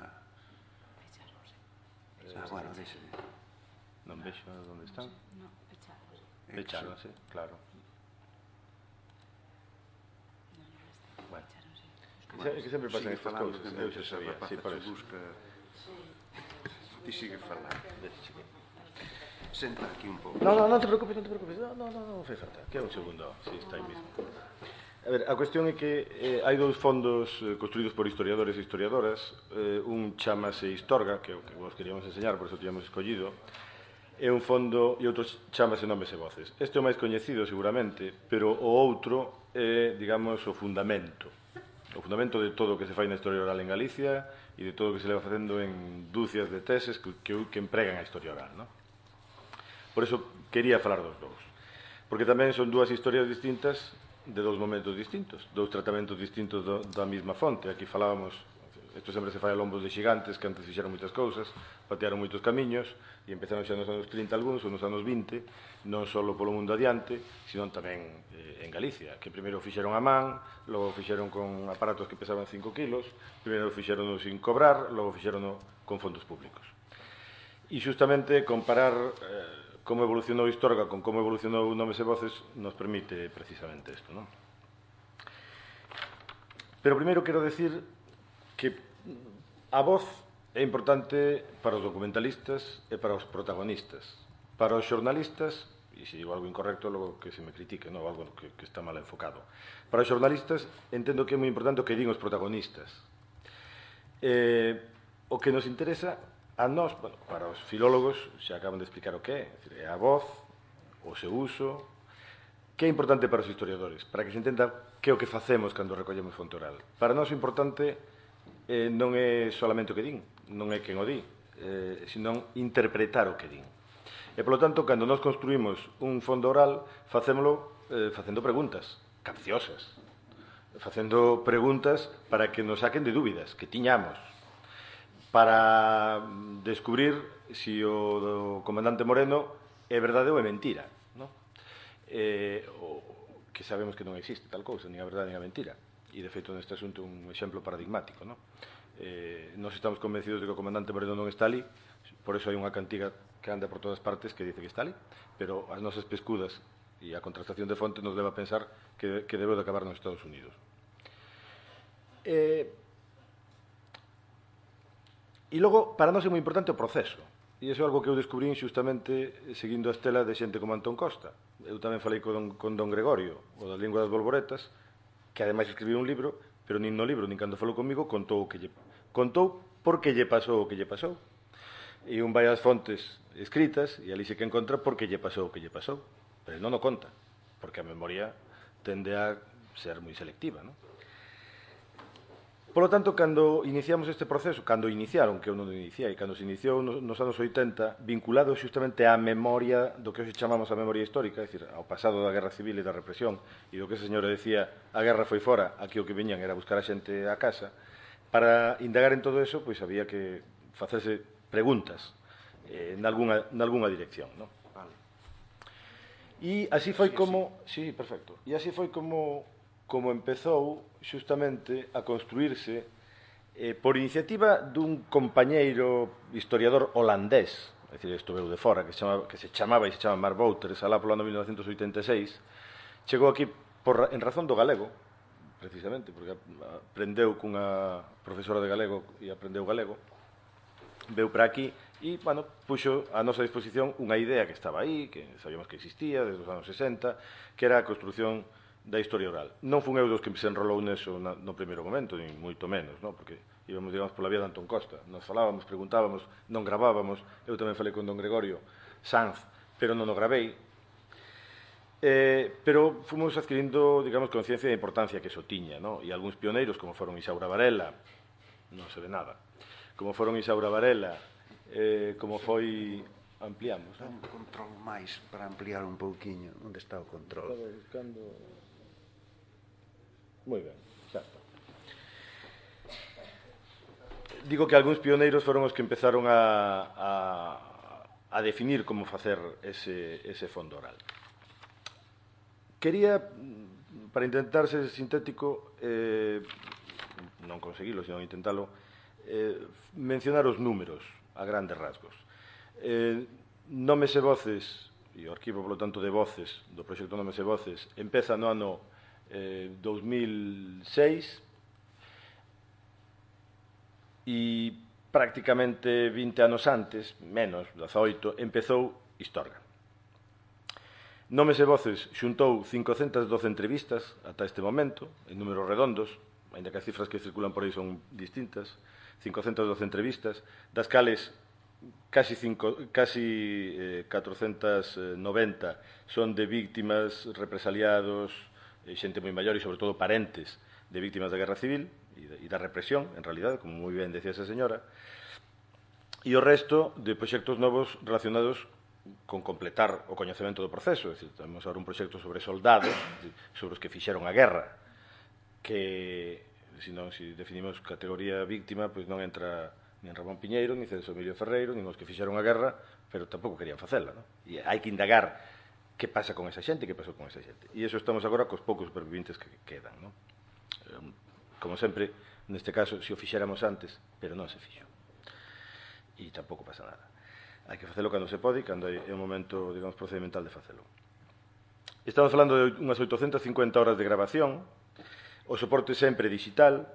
Bueno, deixe. Non vexo onde están. Non, pechados. Pecháronse, claro. Bueno. Que sempre pasan estas cousas. Eu xa sabía. Sí, por eso. Ti sigue falando. Senta aquí un pouco. Non te preocupes. Non fai falta. Que é un segundo. Si, está aí mesmo. A ver, a cuestión é que hai dous fondos construídos por historiadores e historiadoras. Un chamase Historga, que é o que vos queríamos enseñar, por eso tíamos escollido. É un fondo e outro chamase Nomes e Voces. Este é o máis coñecido, seguramente, pero o outro é, digamos, o fundamento. O fundamento de todo o que se fai na historia oral en Galicia e de todo o que se leva facendo en dúcias de teses que empregan a historia oral, non? Por eso quería falar dos dous. Porque tamén son dúas historias distintas de dous momentos distintos, dous tratamentos distintos da mesma fonte. Aquí falábamos, isto sempre se fai a lombos de xigantes que antes fixeron moitas cousas, patearon moitos camiños e empezaron xa nos anos 30 algúns ou nos anos 20, non só polo mundo adiante, sino tamén en Galicia, que primeiro fixeron a man, logo fixeron con aparatos que pesaban 5 kilos, primeiro fixeron sin cobrar, logo fixeron con fondos públicos. E xustamente comparar como evolucionou Historga con como evolucionou Nomes e Voces nos permite precisamente isto, non? Pero primeiro quero decir que a voz é importante para os documentalistas e para os protagonistas. Para os xornalistas, e se digo algo incorrecto, logo que se me critique, non, algo que está mal enfocado. Para os xornalistas, entendo que é moi importante o que din os protagonistas. O que nos interesa a nós, bueno, para os filólogos, xa acaban de explicar o que é a voz, o seu uso, que é importante para os historiadores, para que se entenda que é o que facemos cando recollemos fonte oral. Para nós o importante non é solamente o que din, non é quen o di, senón interpretar o que din. E, polo tanto, cando nós construímos un fondo oral, facémolo facendo preguntas capciosas, facendo preguntas para que nos saquen de dúbidas, que tiñamos, para descubrir se o do comandante Moreno é verdade ou é mentira, non? Que sabemos que non existe tal cousa, nin a verdade nin a mentira. E, de feito, neste asunto é un exemplo paradigmático, non? Nós estamos convencidos de que o comandante Moreno non está ali, por iso hai unha cantiga que anda por todas partes que dice que está ali, pero as nosas pescudas e a contrastación de fonte nos leva a pensar que debe de acabar nos Estados Unidos. E logo, para nós é moi importante o proceso, e iso é algo que eu descubrín xustamente seguindo a estela de xente como Antón Costa. Eu tamén falei con don Gregorio, o das linguas das bolboretas, que ademais escribiu un libro, pero nin no libro, nin cando falou comigo, contou por que lle pasou o que lle pasou. E un vai ás fontes escritas, e ali se que encontra por que lle pasou o que lle pasou. Pero non o conta, porque a memoria tende a ser moi selectiva, non? Por lo tanto, cando iniciamos este proceso, cando iniciaron, que eu non o iniciei, cando se iniciou nos anos 80, vinculado xustamente á memoria do que hoxe chamamos a memoria histórica, é dicir, ao pasado da Guerra Civil e da represión, e do que ese señor decía, a guerra foi fora, aquí o que viñan era buscar a xente a casa, para indagar en todo eso, pois había que facerse preguntas nalgúna dirección, non? Vale. E así foi como... Sí, perfecto. E así foi como empezou xustamente a construirse por iniciativa dun compañeiro historiador holandés, é dicir, isto veu de fora, que se chamaba Mark Wouters, alá polo ano 1986, chegou aquí en razón do galego, precisamente, porque aprendeu cunha profesora de galego e aprendeu galego, veu para aquí e, bueno, puxo a nosa disposición unha idea que estaba aí, que sabíamos que existía desde os anos 60, que era a construción da historia oral. Non fun eu dos que se enrolou neso no primeiro momento, nin moito menos, non? Porque íbamos, digamos, pola vía de Antón Costa. Nos falábamos, preguntábamos, non gravábamos. Eu tamén falei con don Gregorio Sanz, pero non o gravei. Pero fomos adquirindo, digamos, conciencia da importancia que eso tiña, non? E algúns pioneiros, como foron Isaura Varela, non se ve nada, como foron Isaura Varela, como foi... Ampliamos, non? Un control máis para ampliar un pouquiño. Onde está o control? Estaba buscando... Moi ben, xa está. Digo que algúns pioneiros foron os que empezaron a definir como facer ese fondo oral. Quería, para intentar ser sintético, non conseguilo, senón intentalo, mencionar os números a grandes rasgos. Nomes e voces, e o arquivo, polo tanto, de voces do proxecto Nomes e voces, empeza no ano 2006 e prácticamente 20 anos antes, menos, 18, empezou Historga. Nomes e voces xuntou 512 entrevistas ata este momento, en números redondos, ainda que as cifras que circulan por aí son distintas, 512 entrevistas, das cales casi 490 son de víctimas, represaliados, xente moi maior e, sobre todo, parentes de víctimas da Guerra Civil e da represión, en realidad, como moi ben decía esa señora, e o resto de proxectos novos relacionados con completar o coñecemento do proceso. É dicir, temos agora un proxecto sobre soldados, sobre os que fixeron a guerra, que, se definimos categoría víctima, pois non entra nin Ramón Piñeiro, nin Celso Emilio Ferreiro, nin os que fixeron a guerra, pero tampouco querían facela, non? E hai que indagar que pasa con esa xente, que pasou con esa xente. E iso estamos agora cos poucos supervivientes que quedan, non? Como sempre, neste caso, se o fixéramos antes, pero non se fixo. E tampouco pasa nada. Hai que facelo cando se pode e cando é o momento, digamos, procedimental de facelo. Estamos falando de unhas 850 horas de grabación, O soporte sempre digital.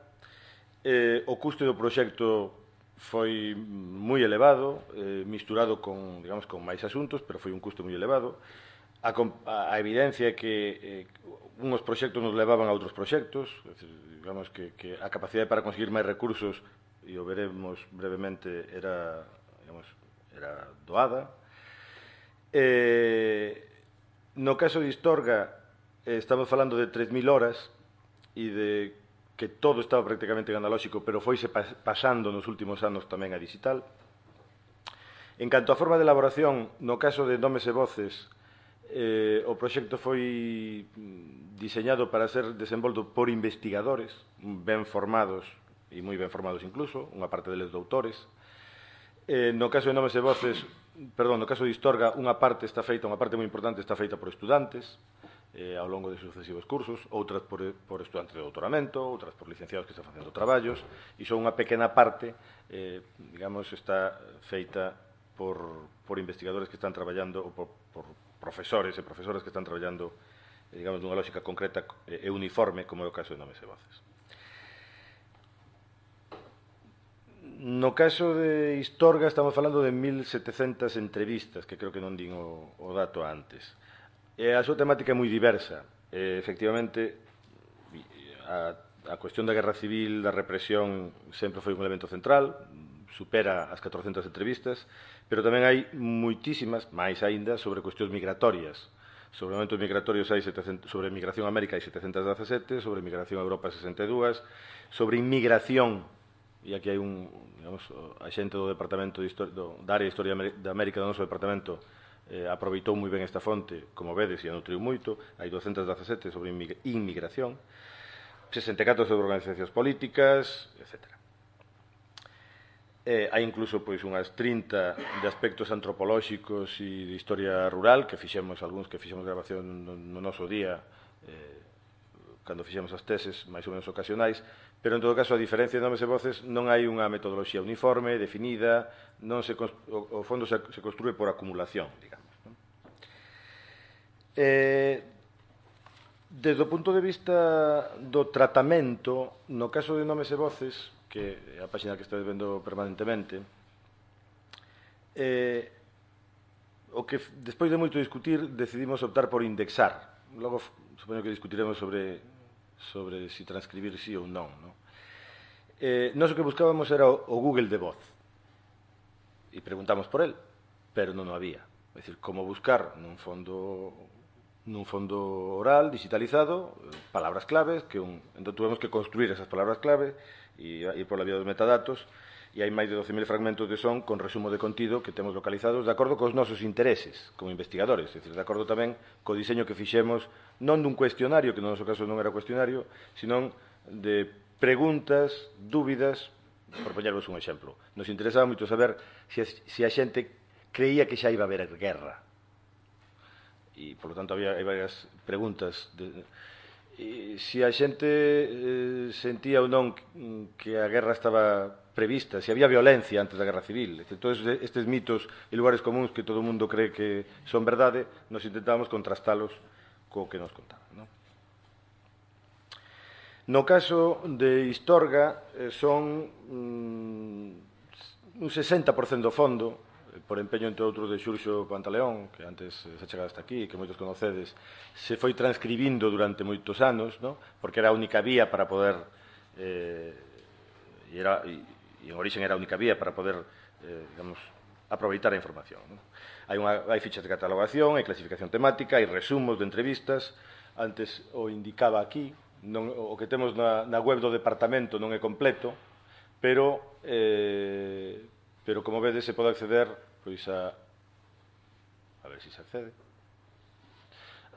O custo do proxecto foi moi elevado, misturado con, digamos, con máis asuntos, pero foi un custo moi elevado. A evidencia é que unhos proxectos nos levaban a outros proxectos, digamos que a capacidade para conseguir máis recursos, e o veremos brevemente, era doada. No caso de Istorga, estamos falando de 3.000 horas e de que todo estaba prácticamente en analóxico, pero foise pasando nos últimos anos tamén a digital. En canto a forma de elaboración, no caso de Nomes e Voces, o proxecto foi diseñado para ser desenvolto por investigadores ben formados, e moi ben formados incluso, unha parte deles doutores. No caso de Nomes e Voces, no caso de Istorga, unha parte moi importante está feita por estudantes, ao longo de sucesivos cursos, outras por estudantes de doutoramento, outras por licenciados que están facendo traballos, e só unha pequena parte, digamos, está feita por investigadores que están traballando, ou por profesores e profesoras que están traballando, digamos, dunha lógica concreta e uniforme, como é o caso de Nomes e Voces. No caso de Istorga estamos falando de 1.700 entrevistas, que creo que non din o dato antes. A súa temática é moi diversa. Efectivamente, a cuestión da guerra civil, da represión, sempre foi un elemento central, supera as 400 entrevistas, pero tamén hai moitísimas, máis aínda, sobre cuestións migratorias. Sobre momentos migratorios hai 700, sobre migración a América hai 717, sobre migración a Europa 62, sobre inmigración, e aquí hai digamos, a xente do Departamento da Área de Historia da América do noso departamento aproveitou moi ben esta fonte, como vedes, e a nutriu moito. Hai 217 sobre inmigración, 64 sobre organizacións políticas, etc. Hai incluso unhas 30 de aspectos antropolóxicos e de historia rural, que fixemos grabación no noso día, cando fixemos as teses máis ou menos ocasionais, pero en todo caso, a diferencia de Nomes e Voces, non hai unha metodoloxía uniforme, definida, o fondo se construe por acumulación, digamos. Desde o punto de vista do tratamento, no caso de Nomes e Voces, que é a página que estades vendo permanentemente, o que despois de moito discutir decidimos optar por indexar. Logo, supoño que discutiremos sobre si transcribir sí ou non. Nós o que buscábamos era o Google de voz, e preguntamos por el, pero non o había. É dicir, como buscar nun fondo oral, digitalizado, palabras claves, entón tuvemos que construir esas palabras clave e ir por la vía dos metadatos, e hai máis de 12.000 fragmentos de son con resumo de contido que temos localizados de acordo cos nosos intereses como investigadores, é dicir, de acordo tamén co diseño que fixemos non dun cuestionario, que no noso caso non era cuestionario, sino de preguntas, dúbidas. Por poñervos un exemplo, nos interesaba moito saber se a xente creía que xa iba a haber guerra, e, por lo tanto, hai varias preguntas se a xente sentía ou non que a guerra estaba prevista, se había violencia antes da guerra civil. Todos estes mitos e lugares comuns que todo o mundo cree que son verdade, nos intentábamos contrastalos co que nos contaban. No caso de Istorga, son un 60% do fondo, por empeño, entre outros, de Xurxo Pantaleón, que antes se chegado hasta aquí, que moitos conocedes, se foi transcribindo durante moitos anos, porque era a única vía para poder, e en origen era a única vía para poder, digamos, aproveitar a información. Hai fichas de catalogación, hai clasificación temática, hai resumos de entrevistas. Antes o indicaba aquí, o que temos na web do departamento non é completo, pero como vedes se pode acceder a ver se accede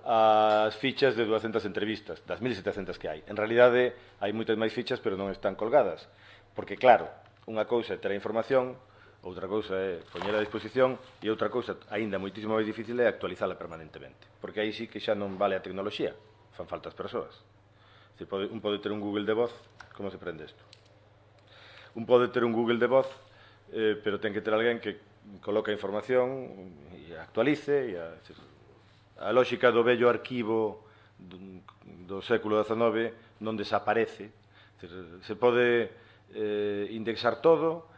as fichas de 200 entrevistas das 1.700 que hai. En realidade hai moitas máis fichas, pero non están colgadas, porque claro, unha cousa é ter a información, outra cousa é poñer a disposición, e outra cousa, aínda moitísimo máis difícil, é actualizala permanentemente, porque aí sí que xa non vale a tecnoloxía, fan falta as persoas. Un pode ter un Google de voz. Como se prende isto? Un pode ter un Google de voz, pero ten que ter alguén que coloca a información e actualice. A lógica do vello arquivo do século XIX non desaparece. Se pode indexar todo,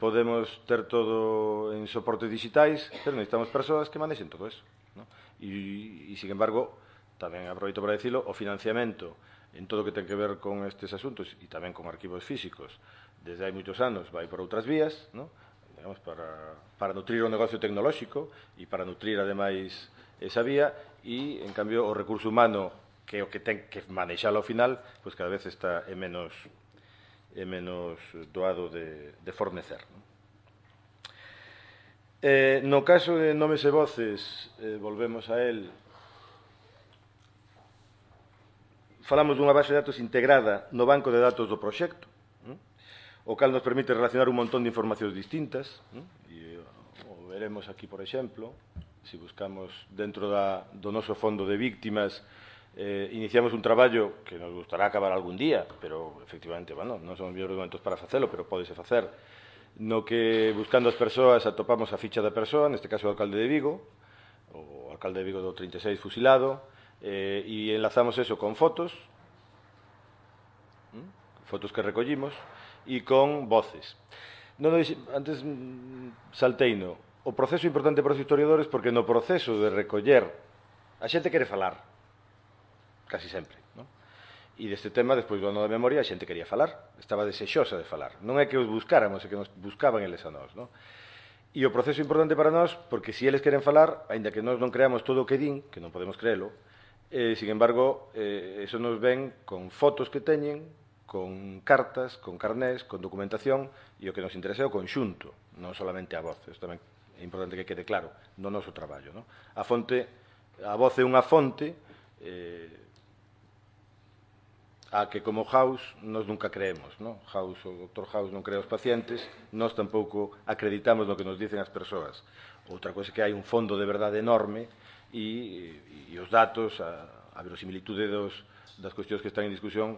podemos ter todo en soportes digitais, pero necesitamos persoas que manexen todo eso. E, sin embargo, tamén aproveito para dicilo, o financiamento en todo o que ten que ver con estes asuntos e tamén con arquivos físicos desde hai moitos anos vai por outras vías, digamos, para nutrir o negocio tecnolóxico e para nutrir, ademais, esa vía, e, en cambio, o recurso humano, que é o que ten que manexalo ao final, pois cada vez está menos doado de fornecer. No caso de nomes e voces, volvemos a él, falamos dunha base de datos integrada no banco de datos do proxecto, o cal nos permite relacionar un montón de informacións distintas, e o veremos aquí, por exemplo, se buscamos dentro do noso fondo de víctimas, iniciamos un traballo que nos gustará acabar algún día, pero, efectivamente, bueno, non son os mellores momentos para facelo, pero pódese facer, no que, buscando as persoas, atopamos a ficha da persoa, neste caso o alcalde de Vigo, o alcalde de Vigo do 36 fusilado, e enlazamos eso con fotos que recollimos, e con voces. Antes salteino. O proceso importante para os historiadores porque no proceso de recoller a xente quere falar, casi sempre. E deste tema, despois do ano da memoria, a xente quería falar, estaba desexosa de falar. Non é que os buscáramos, é que nos buscaban eles a nós. E o proceso importante para nós, porque se eles queren falar, aínda que nós non creamos todo o que din, que non podemos creelo, sin embargo, eso nos ven con fotos que teñen, con cartas, con carnés, con documentación, e o que nos interesa é o conxunto, non solamente a voz. Isto tamén é importante que quede claro no noso traballo. A voz é unha fonte a que, como House, nós nunca creemos. O Dr. House non crea os pacientes, nós tampouco acreditamos no que nos dicen as persoas. Outra coisa é que hai un fondo de verdade enorme e os datos, a verosimilitude das cuestións que están en discusión,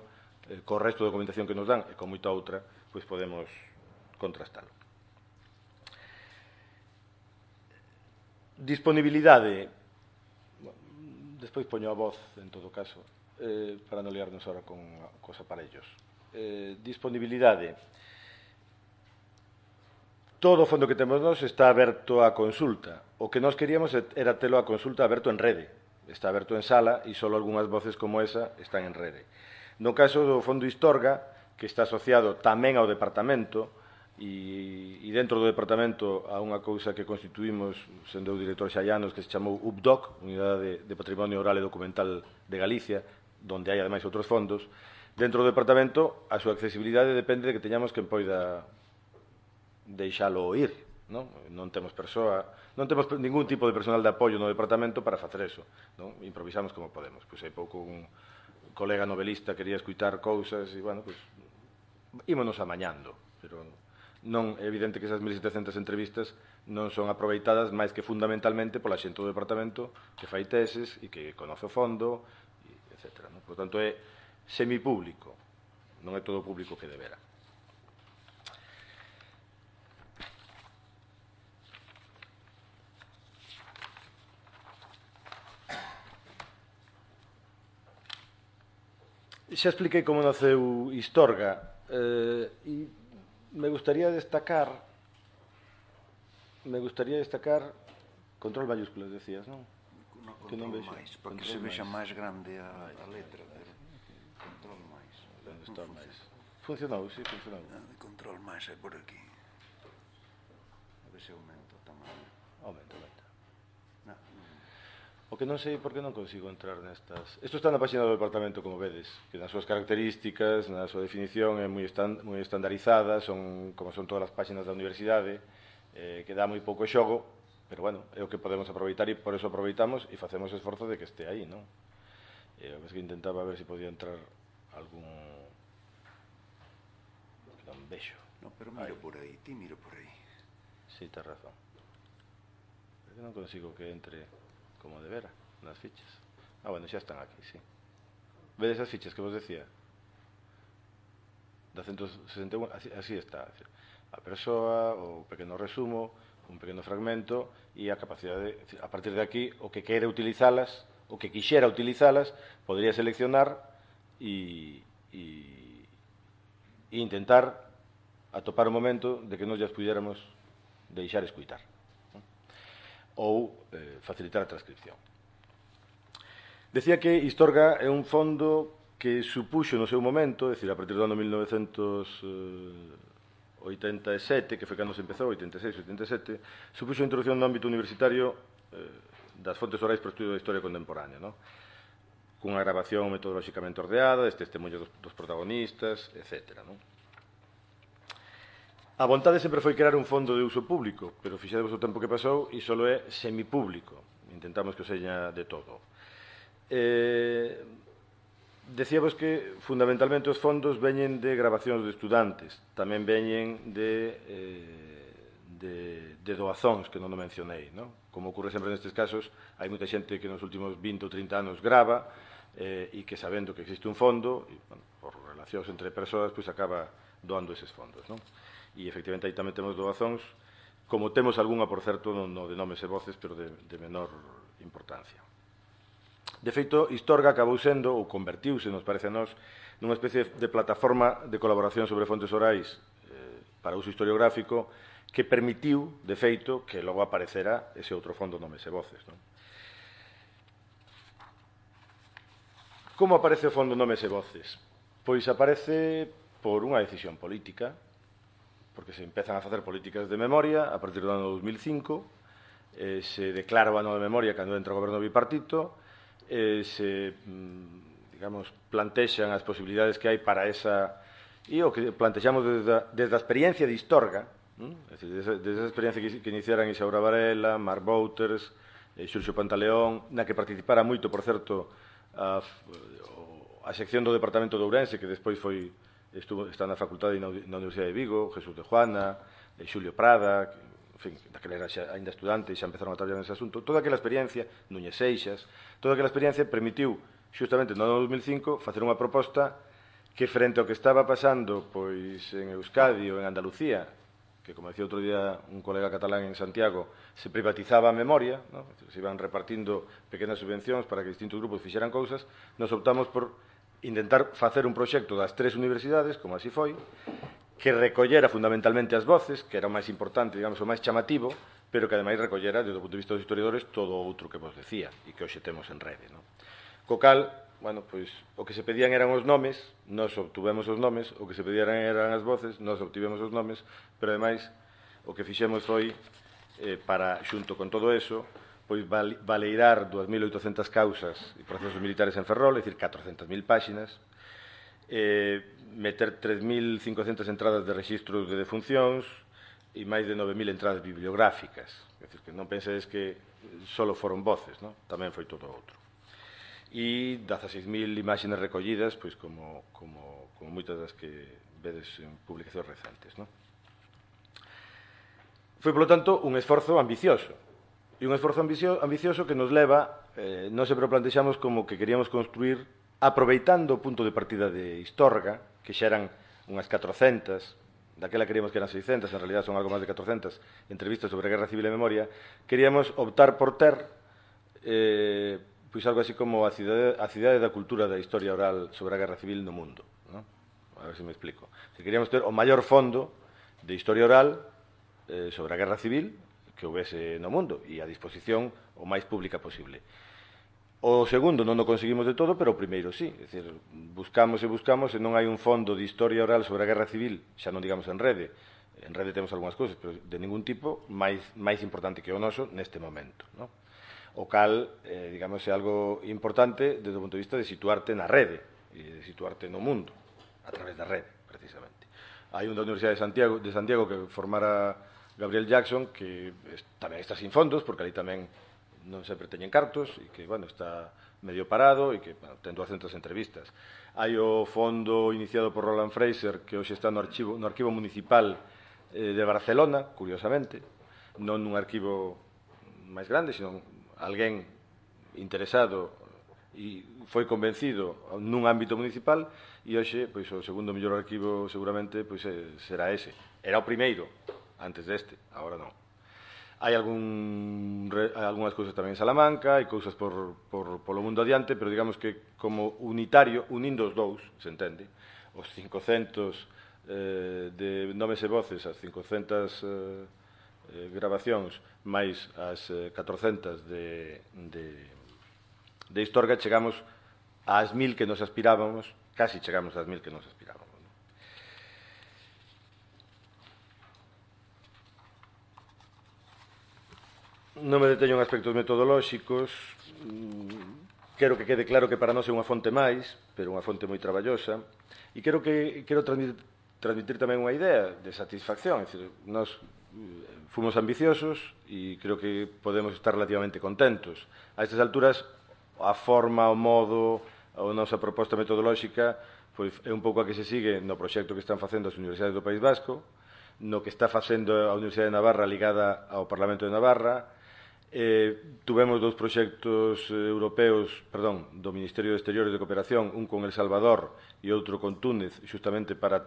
co resto da documentación que nos dan e con moita outra, pois podemos contrastalo. Disponibilidade. Despois poño a voz, en todo caso, para non liarnos ahora cos aparellos. Disponibilidade. Todo o fondo que temos nós está aberto á consulta. O que nós queríamos era telo a consulta aberto en rede. Está aberto en sala e só algunhas voces como esa están en rede. No caso do Fondo Historga, que está asociado tamén ao departamento, e dentro do departamento a unha cousa que constituímos, sendo o director Xallanos, que se chamou UPDOC, Unidade de Patrimonio Oral e Documental de Galicia, onde hai ademais outros fondos, dentro do departamento a súa accesibilidade depende de que teñamos quen poida deixalo oír. Non temos ningún tipo de personal de apoio no departamento para facer eso. Improvisamos como podemos. Pois hai pouco un colega novelista quería escutar cousas e, bueno, pois ímonos amañando, pero non é evidente que esas 1700 entrevistas non son aproveitadas máis que fundamentalmente pola xente do departamento que fai teses e que conoce o fondo, etc. Por tanto, é semipúblico, non é todo o público que debera. Xa expliquei como naceu Historga e me gustaría destacar control mayúsculas, decías, non? Que non vexo máis, porque se vexa máis grande a letra. Control máis. Onde está máis? Funcionou, sí, funcionou. Control máis é por aquí. A ver se aumenta o tamaño. Aumenta. O que non sei por que non consigo entrar nestas... Isto está na página do departamento, como vedes, que nas súas características, na súa definición, é moi estandarizada, como son todas as páxinas da universidade, que dá moi pouco xogo, pero, bueno, é o que podemos aproveitar e por eso aproveitamos e facemos esforzo de que este aí, non? A vez que intentaba ver se podía entrar algún... que non vexo. No, pero miro por aí, ti miro por aí. Sí, tens razón. Pero non consigo que entre... como de vera, nas fichas. Bueno, xa están aquí, sí. Vedes as fichas que vos decía? Da 161, así está. A persoa, o pequeno resumo, un pequeno fragmento e a capacidade, a partir de aquí, o que quere utilizalas, o que quixera utilizalas, podría seleccionar e intentar atopar o momento de que nos llas pudiéramos deixar escuitar, ou facilitar a transcripción. Decía que Istorga é un fondo que supuxo no seu momento, é dicir, a partir do ano 1987, que foi cando se empezou, 86-87, supuxo a introducción no ámbito universitario das fontes orais para o estudio da historia contemporánea, non? Cunha grabación metodolóxicamente ordeada, este testemunho dos protagonistas, etc. Non? A vontade sempre foi crear un fondo de uso público, pero fixadevos o tempo que pasou e só é semipúblico. Intentamos que o seña de todo. Decíamos que fundamentalmente os fondos veñen de grabacións de estudantes, tamén veñen de doazóns que non o mencionei, non? Como ocurre sempre nestes casos, hai moita xente que nos últimos 20 ou 30 anos grava e que sabendo que existe un fondo, e, bueno, por relacións entre persoas, pois acaba doando eses fondos, non? E efectivamente aí tamén temos doazóns, como temos algunha, por certo, no de nomes e voces, pero de menor importancia. De feito, Istorga acabou sendo, ou convertiuse, nos parece a nós, nunha especie de plataforma de colaboración sobre fontes orais para uso historiográfico que permitiu, de feito, que logo aparecera ese outro fondo nomes e voces. Non? Como aparece o fondo nomes e voces? Pois aparece por unha decisión política, porque se empezan a facer políticas de memoria a partir do ano 2005, se declara o ano de memoria cando entra o goberno bipartito, se, digamos, plantexan as posibilidades que hai para esa... E o que plantexamos desde a experiencia de Istorga, é dicir, desde esa experiencia que iniciaran Isaura Varela, Marc Wouters, Xurxo Pantaleón, na que participara moito, por certo, a sección do Departamento de Ourense, que despois está na Facultade na Universidade de Vigo, Jesús de Juana, Xulio Prada, en fin, daquela era ainda estudante e xa empezaron a traballar nese asunto. Toda aquela experiencia, Núñez Seixas, toda aquela experiencia permitiu, xustamente no ano 2005, facer unha proposta que frente ao que estaba pasando pois en Euskadi ou en Andalucía, que, como decía outro día un colega catalán en Santiago, se privatizaba a memoria, ¿no? Se iban repartindo pequenas subvencións para que distintos grupos fixeran cousas, nos optamos por intentar facer un proxecto das 3 universidades, como así foi, que recollera fundamentalmente as voces, que era o máis importante, digamos, o máis chamativo, pero que ademais recollera, desde o punto de vista dos historiadores, todo o outro que vos decía, e que hoxe temos en rede. ¿No? Co cal, bueno, pois, o que se pedían eran os nomes, nós obtuvemos os nomes, o que se pedían eran as voces, nós obtivemos os nomes, pero ademais, o que fixemos foi, para, xunto con todo eso, pois valeirar 2.800 causas e procesos militares en Ferrol, é dicir, 400.000 páxinas, meter 3.500 entradas de registros de defuncións e máis de 9.000 entradas bibliográficas. É dicir, que non pensedes que só foron voces, non? Tamén foi todo outro. E 16.000 imaxes recollidas, pois como moitas das que vedes en publicacións recentes, non? Foi, polo tanto, un esforzo ambicioso. E un esforzo ambicioso que nos leva, non sempre o plantexamos como que queríamos construir, aproveitando o punto de partida de Istorga, que xa eran unhas 400, daquela queríamos que eran 600, en realidad son algo máis de 400, entrevistas sobre a Guerra Civil e Memoria, queríamos optar por ter pois algo así como a cidade da cultura da historia oral sobre a Guerra Civil no mundo. ¿No? A ver se me explico. Se queríamos ter o maior fondo de historia oral sobre a Guerra Civil que houvese no mundo e a disposición o máis pública posible. O segundo non o conseguimos de todo, pero o primeiro sí. É dicir, buscamos e non hai un fondo de historia oral sobre a Guerra Civil, xa non digamos en rede. En rede temos algunhas cousas, pero de ningún tipo máis importante que o noso neste momento. ¿No? O cal, digamos, é algo importante desde o punto de vista de situarte na rede e de situarte no mundo, a través da rede, precisamente. Hai un da Universidade de Santiago que formara Gabriel Jackson, que tamén está sin fondos, porque ali tamén non sempre teñen cartos, e que, bueno, está medio parado, e que, bueno, ten 200 entrevistas. Hai o fondo iniciado por Roland Fraser, que hoxe está no arquivo municipal de Barcelona, curiosamente, non nun arquivo máis grande, sino alguén interesado e foi convencido nun ámbito municipal, e hoxe, pois, o segundo mellor arquivo seguramente pois será ese. Era o primeiro, antes deste, agora non. Hai algunhas cousas tamén en Salamanca, hai cousas polo mundo adiante, pero digamos que como unitario, unindo os dous, se entende, os 500 de nomes e voces, as 500 grabacións, máis as 400 de Historga, chegamos ás 1000 que nos aspirábamos, casi chegamos ás 1000 que nos aspirábamos. Non me deteño en aspectos metodolóxicos, quero que quede claro que para nós é unha fonte máis, pero unha fonte moi traballosa, e quero transmitir tamén unha idea de satisfacción, é dicir, nós fomos ambiciosos e creo que podemos estar relativamente contentos. A estas alturas, a forma, o modo, a nosa proposta metodolóxica é un pouco a que se sigue no proxecto que están facendo as universidades do País Vasco, no que está facendo a Universidade de Navarra ligada ao Parlamento de Navarra. Tuvemos dous proxectos europeos, do Ministerio de Exteriores de Cooperación, un con El Salvador e outro con Túnez, xustamente para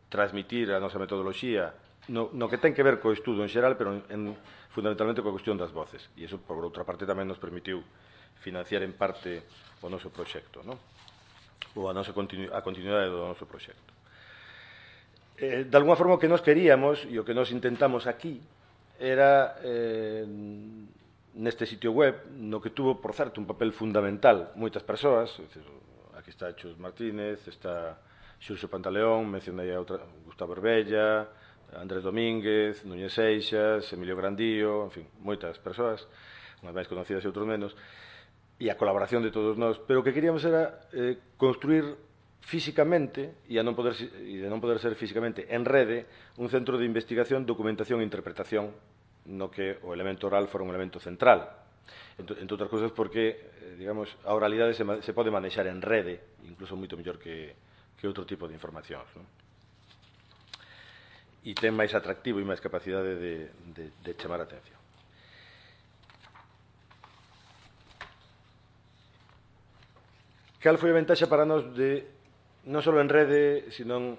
transmitir a nosa metodoloxía no que ten que ver co estudo en xeral, pero fundamentalmente coa cuestión das voces. E iso, por outra parte, tamén nos permitiu financiar en parte o noso proxecto, ou a continuidade do noso proxecto. De alguma forma, o que nos queríamos e o que nos intentamos aquí era neste sitio web, no que tuvo, por certo, un papel fundamental moitas persoas. Aquí está Chus Martínez, está Xurxo Pantaleón, mencionei a Gustavo Herbella, Andrés Domínguez, Núñez Seixas, Emilio Grandío, en fin, moitas persoas, unhas máis conocidas e outros menos, e a colaboración de todos nós. Pero o que queríamos era construir físicamente, e de non poder ser físicamente en rede, un centro de investigación, documentación e interpretación, no que o elemento oral fora un elemento central. Entre outras cousas porque, digamos, a oralidade se pode manexar en rede, incluso moito mellor que outro tipo de informacións, e ten máis atractivo e máis capacidade de chamar a atención. Cal foi a ventaxa para nós de non só en rede, non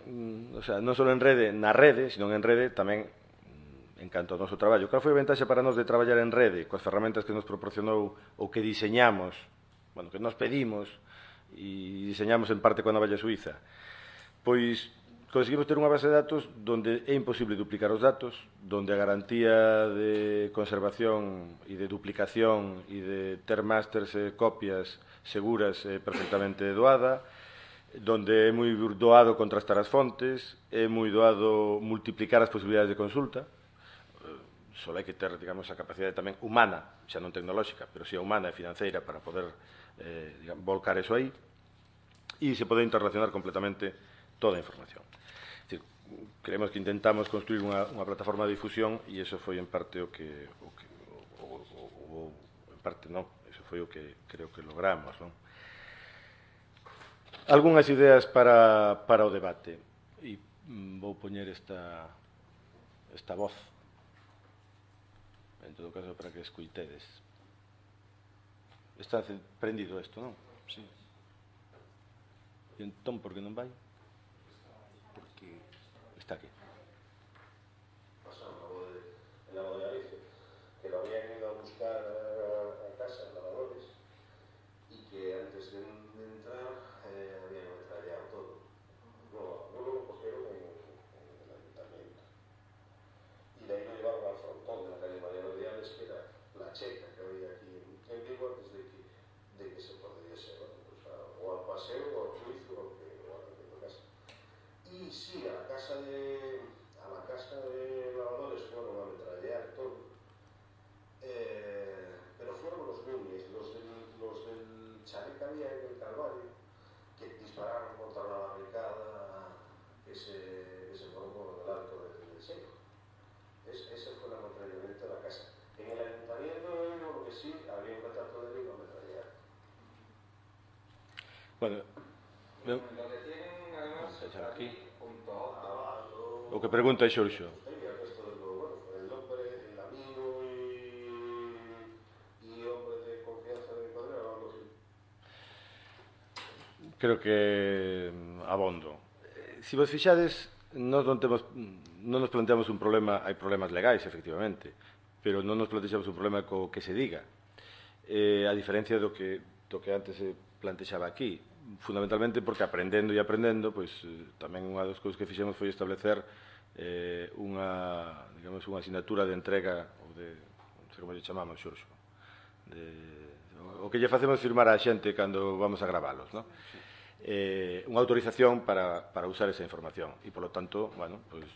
só en rede na rede, sino en rede tamén en canto ao noso traballo? Cal foi a ventaxa para nós de traballar en rede coas ferramentas que nos proporcionou ou que diseñamos, que nos pedimos e diseñamos en parte coa Navalla Suiza? Pois conseguimos ter unha base de datos onde é imposible duplicar os datos, onde a garantía de conservación e de duplicación e de ter másters e copias seguras é perfectamente doada, onde é moi doado contrastar as fontes, é moi doado multiplicar as posibilidades de consulta. Só hai que ter, digamos, a capacidade tamén humana, xa non tecnolóxica, pero si humana e financeira para poder volcar eso aí, e se pode interrelacionar completamente toda a información. Es decir, creemos que intentamos construir unha plataforma de difusión e eso foi en parte en parte non, eso foi o que creo que logramos, non? Algúnas ideas para o debate, e vou poñer esta voz, en todo caso, para que escuitedes. Está prendido isto, non? Sí. E entón, por que non vai? Porque está aquí. Pasamos en la boda de Galicia, que lo habían ido a buscar a casa, lavadores, y que antes de entrar habían metrallado todo. No lo cogieron en el ayuntamiento. Y de ahí lo llevaron al frontón de la calle Mariano Viales, que era la checa que había aquí en Vigo antes de que se pudiese, o al paseo, o al juicio, o a la que tocase. Y sí, a la casa de lavadores fueron a metrallar todo, pero fueron los Núñez, los del chalet que había en el Calvario, que dispararon contra la barricada que se formó en el alto del Seco. Ese fue el ametrallamiento de la casa. En el ayuntamiento lo que sí, había un retrato de Vigo a metrallar. Bueno, lo que tienen además aquí junto a o que pregunta é Xorxo. El hombre, el amigo y hombre de confianza de mi padre, algo así. Creo que abondo. Se vos fixades, non nos planteamos un problema, hai problemas legais, efectivamente, pero non nos planteamos un problema co que se diga. A diferencia do que antes se plantexaba aquí, fundamentalmente porque aprendendo, pois tamén unha das cousas que fixemos foi establecer unha asignatura de entrega, ou de, non sei como lle chamamos, Xurxo, o que lle facemos firmar á xente cando vamos a gravalos, non? Unha autorización para usar esa información e, polo tanto, pois,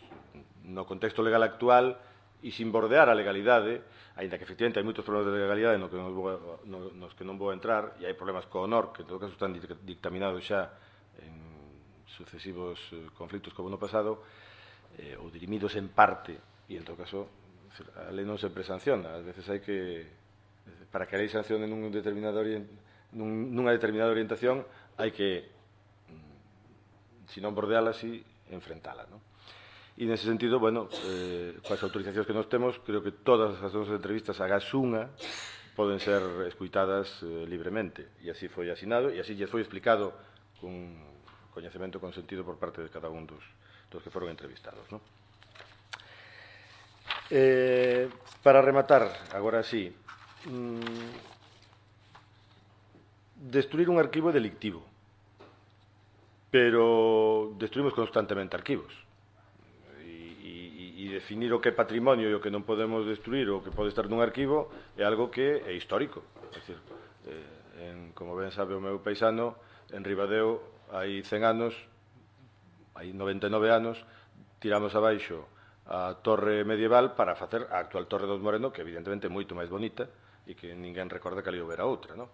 no contexto legal actual e sin bordear a legalidade, aínda que efectivamente hai moitos problemas de legalidade nos que non vou entrar, e hai problemas co honor que en todo caso están dictaminados xa en sucesivos conflitos como no pasado, ou dirimidos en parte, e en todo caso a lei non sempre sanciona. Ás veces hai que, para que a lei sancione nunha determinada orientación, hai que, se non bordeala, si enfrentala, non? E nese sentido, coas autorizacións que nos temos, creo que todas as nosas entrevistas a Gasunga poden ser escuitadas libremente, e así foi asinado, e así lle foi explicado con coñecemento, con sentido por parte de cada un dos que foron entrevistados, non? Para rematar, agora sí, destruir un arquivo é delictivo, pero destruímos constantemente arquivos, e definir o que é patrimonio e o que non podemos destruir, o que pode estar nun arquivo, é algo que é histórico. É dicir, como ben sabe o meu paisano, en Ribadeo hai 100 anos, hai 99 anos, tiramos abaixo a torre medieval para facer a actual Torre dos Moreno, que evidentemente é moito máis bonita e que ninguén recorda que ali houbera outra, non?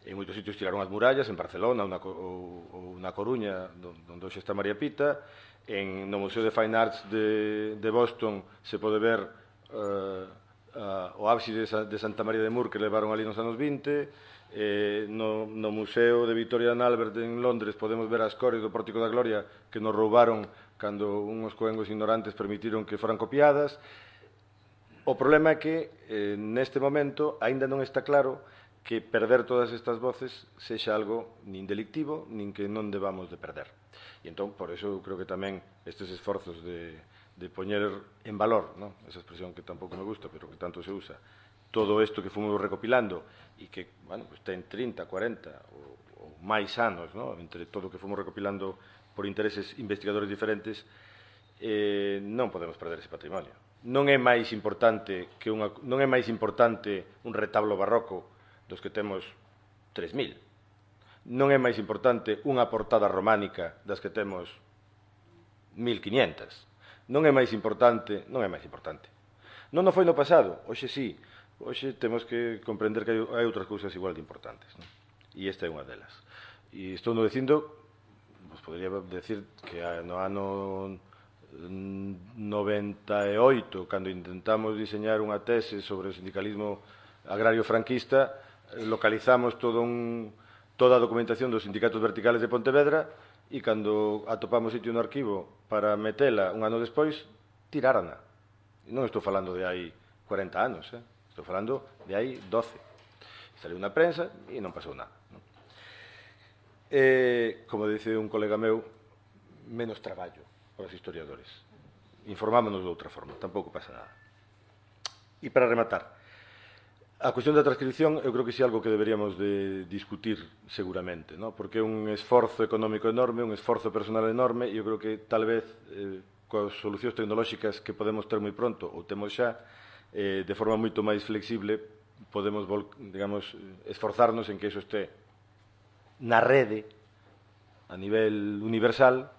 En moitos sitios tiraron as murallas, en Barcelona ou na Coruña, onde hoxe está María Pita. No Museo de Fine Arts de Boston se pode ver o ábside de Santa María de Mur que levaron ali nos anos 20. No Museo de Victoria and Albert en Londres podemos ver as cores do Pórtico da Gloria que nos roubaron cando unhos coengos ignorantes permitiron que foran copiadas. O problema é que neste momento aínda non está claro que perder todas estas voces sexa algo nin delictivo, nin que non debamos de perder. E entón, por eso, creo que tamén estes esforzos de poñer en valor, ¿no?, esa expresión que tampouco me gusta, pero que tanto se usa, todo isto que fomos recopilando e que, pues ten 30, 40 ou máis anos, ¿no?, entre todo o que fomos recopilando por intereses investigadores diferentes, non podemos perder ese patrimonio. Non é máis importante un retablo barroco dos que temos 3.000. Non é máis importante unha portada románica das que temos 1.500. Non é máis importante. Non foi no pasado, hoxe sí. Hoxe temos que comprender que hai outras cousas igual de importantes, non? E esta é unha delas. E estou non dicindo, vos podría decir que no ano 98, cando intentamos diseñar unha tese sobre o sindicalismo agrario franquista, localizamos toda a documentación dos sindicatos verticales de Pontevedra e cando atopamos sitio no arquivo para metela un ano despois, tirárana. Non estou falando de hai 40 anos, estou falando de hai 12. Saliu na prensa e non pasou nada. Como dice un colega meu, menos traballo para os historiadores. Informámonos de outra forma, tampouco pasa nada. E para rematar, a cuestión da transcripción eu creo que é algo que deberíamos de discutir seguramente, ¿no?, porque é un esforzo económico enorme, un esforzo personal enorme, e eu creo que tal vez coas solucións tecnolóxicas que podemos ter moi pronto ou temos xa, de forma moito máis flexible, podemos, digamos, esforzarnos en que iso este na rede a nivel universal.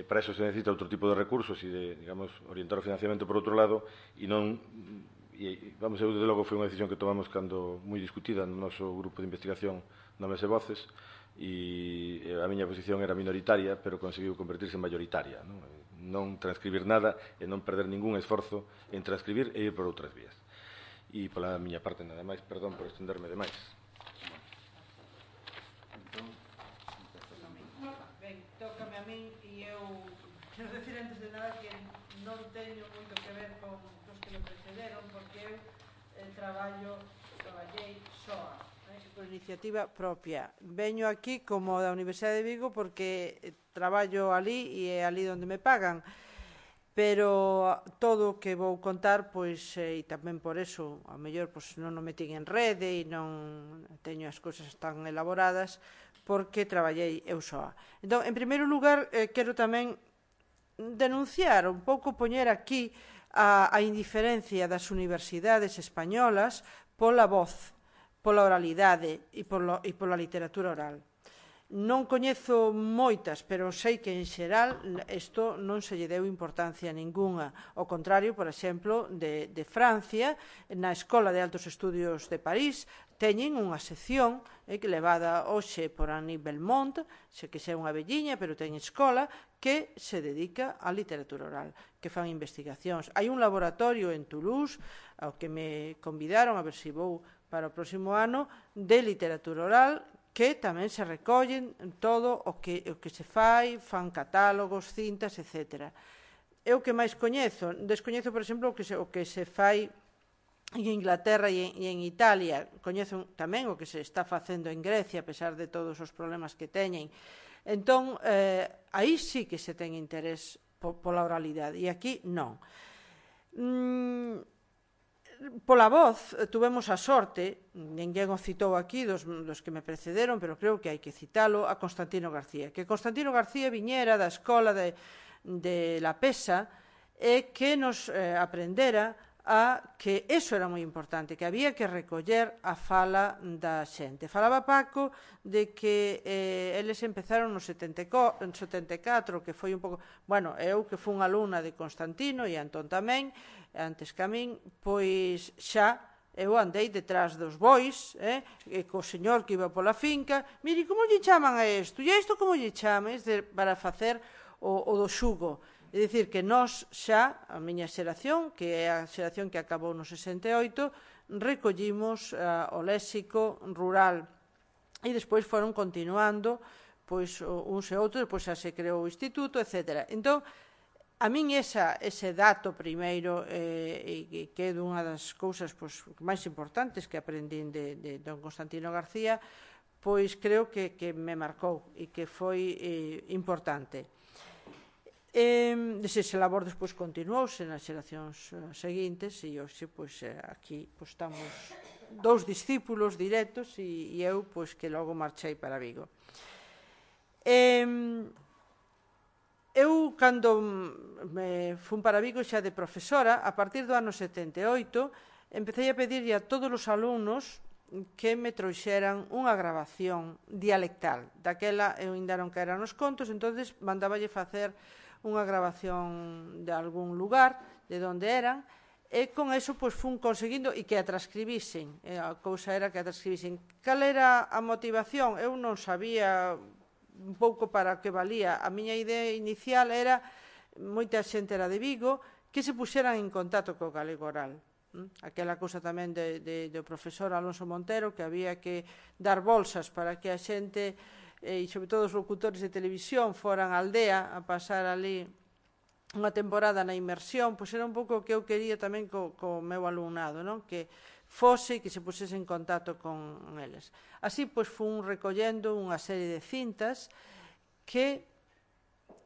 Para eso se necesita outro tipo de recursos e de, digamos, orientar o financiamento por outro lado, e non... Vamos, eu, desde logo, foi unha decisión que tomamos cando moi discutida no noso grupo de investigación na Mesa Voces, e a miña posición era minoritaria, pero conseguiu convertirse en mayoritaria, non transcribir nada e non perder ningún esforzo en transcribir e ir por outras vías. E pola miña parte nada máis, perdón por estenderme demais. Ben, tócame a min e eu quero decir antes de nada que non teño moito que ver con os que me precederon, porque eu traballei soa, Por iniciativa propia. Veño aquí como da Universidade de Vigo porque traballo ali e é ali onde me pagan. Pero todo o que vou contar, pois, e tamén por eso, ao mellor, pois, non o metín en rede e non teño as cousas tan elaboradas, porque traballei eu soa. Entón, en primeiro lugar, quero tamén denunciar, un pouco poñer aquí a indiferencia das universidades españolas pola voz, pola oralidade e pola literatura oral. Non coñezo moitas, pero sei que en xeral isto non se lle deu importancia ningunha. Ao contrario, por exemplo, de Francia, na Escola de Altos Estudios de París, teñen unha sección levada hoxe por Annie Belmont, que xa é unha velliña, pero ten escola, que se dedica á literatura oral, que fan investigacións. Hai un laboratorio en Toulouse, ao que me convidaron, a ver se vou para o próximo ano, de literatura oral, que tamén se recollen todo o que se fai, fan catálogos, cintas, etc. Eu que máis coñezo, descoñezo, por exemplo, o que se fai en Inglaterra e en Italia, coñezo tamén o que se está facendo en Grecia, a pesar de todos os problemas que teñen. Entón, aí sí que se ten interés pola oralidade, e aquí non. Pola voz, tuvemos a sorte, ninguén o citou aquí dos que me precederon, pero creo que hai que citalo, a Constantino García. Que Constantino García viñera da escola de La Pesa e que nos aprendera a que eso era moi importante, que había que recoller a fala da xente. Falaba Paco de que eles empezaron no 74, que foi un pouco... Bueno, eu que fui unha alumna de Constantino e Antón tamén, antes que a min, pois xa eu andei detrás dos bois, e co señor que iba pola finca, mire, como lle chaman a isto? E a isto como lle chaman? Para facer o do xugo. É dicir, que nós xa, a miña xeración, que é a xeración que acabou no 68, recollimos o léxico rural e despois foron continuando pois uns e outros, depois xa se creou o instituto, etc. Entón, a min ese dato primeiro, que é dunha das cousas máis importantes que aprendín de don Constantino García, pois creo que me marcou e que foi importante. Ese labor despois continuouse nas xeracións seguintes e hoxe aquí estamos dous discípulos directos e eu que logo marchei para Vigo. Eu, cando me fun para Vigo xa de profesora, a partir do ano 78, empecé a pedirlle a todos os alumnos que me trouxeran unha grabación dialectal. Daquela eu ainda non que eran os contos, entonces mandáballe facer unha grabación de algún lugar, de onde eran, e con eso fun conseguindo e que a transcribisen. A cousa era que a transcribisen. Cal era a motivación? Eu non sabía un pouco para que valía. A miña idea inicial era, moita xente era de Vigo, que se puxeran en contacto co galego oral. Aquela cousa tamén do profesor Alonso Montero, que había que dar bolsas para que a xente, e sobre todo os locutores de televisión, foran á aldea a pasar ali unha temporada na inmersión, pois era un pouco o que eu quería tamén co meu alumnado, que fose e que se pusese en contacto con eles. Así, fun recollendo unha serie de cintas que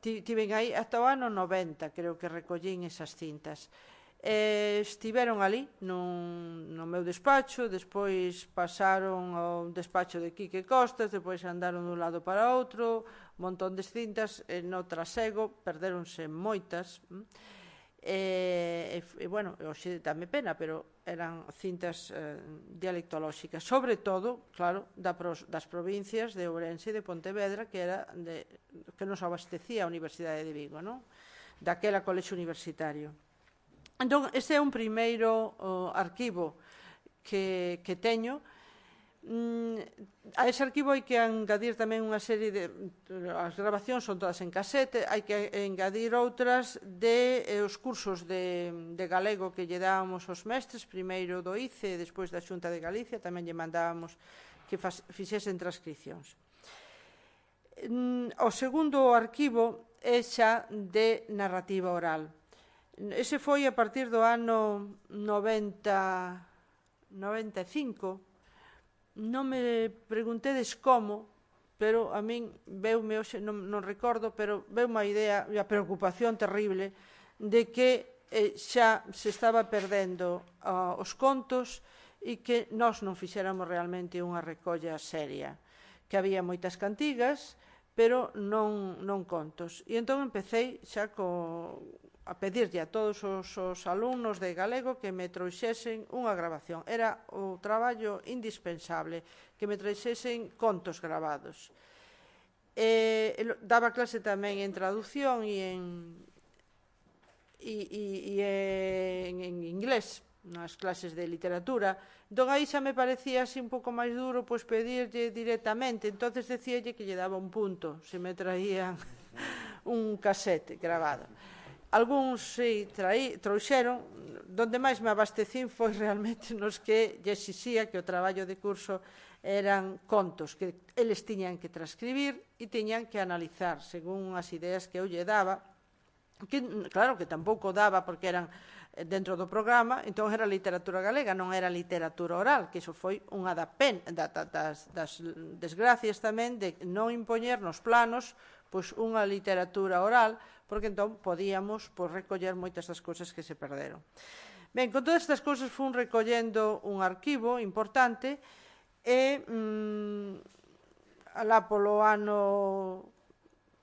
tiven aí ata o ano 90, creo que recollín esas cintas. Estiveron ali no meu despacho, despois pasaron ao despacho de Quique Costas, despois andaron dun lado para outro, un montón de cintas, no trasego perdéronse moitas, e bueno, hoxe dame pena, pero eran cintas dialectolóxicas, sobre todo, claro, das provincias de Ourense e de Pontevedra, que nos abastecía a Universidade de Vigo, daquela colexio universitario. Entón, este é un primeiro arquivo que teño. A ese arquivo hai que engadir tamén unha serie de... As grabacións son todas en casete, hai que engadir outras os cursos de galego que lle dábamos aos mestres, primeiro do ICE e despois da Xunta de Galicia, tamén lle mandábamos que fixesen transcripcións. O segundo arquivo é xa de narrativa oral. Ese foi a partir do ano 95, Non me preguntedes como, pero a min veume hoxe, non recordo, pero veume a idea e a preocupación terrible de que xa se estaba perdendo os contos e que nós non fixéramos realmente unha recolla seria, que había moitas cantigas, pero non contos. E entón empecé xa a pedirlle a todos os alumnos de galego que me trouxesen unha grabación. Era o traballo indispensable, que me trouxesen contos grabados. Daba clase tamén en traducción e en inglés, nas clases de literatura. Entón aí xa me parecía así un pouco máis duro pois pedirlle directamente. Entonces decíalle que lle daba un punto se me traían un casete grabado. Algúns si trouxeron, donde máis me abastecín foi realmente nos que lle exixía que o traballo de curso eran contos que eles tiñan que transcribir e tiñan que analizar según as ideas que eu lle daba, que claro que tampouco daba porque eran dentro do programa, entón era literatura galega, non era literatura oral, que iso foi unha das desgracias tamén de non impoñer nos planos pois unha literatura oral, porque entón podíamos recoller moitas das cousas que se perderon. Ben, con todas estas cousas fun recollendo un arquivo importante e alá polo ano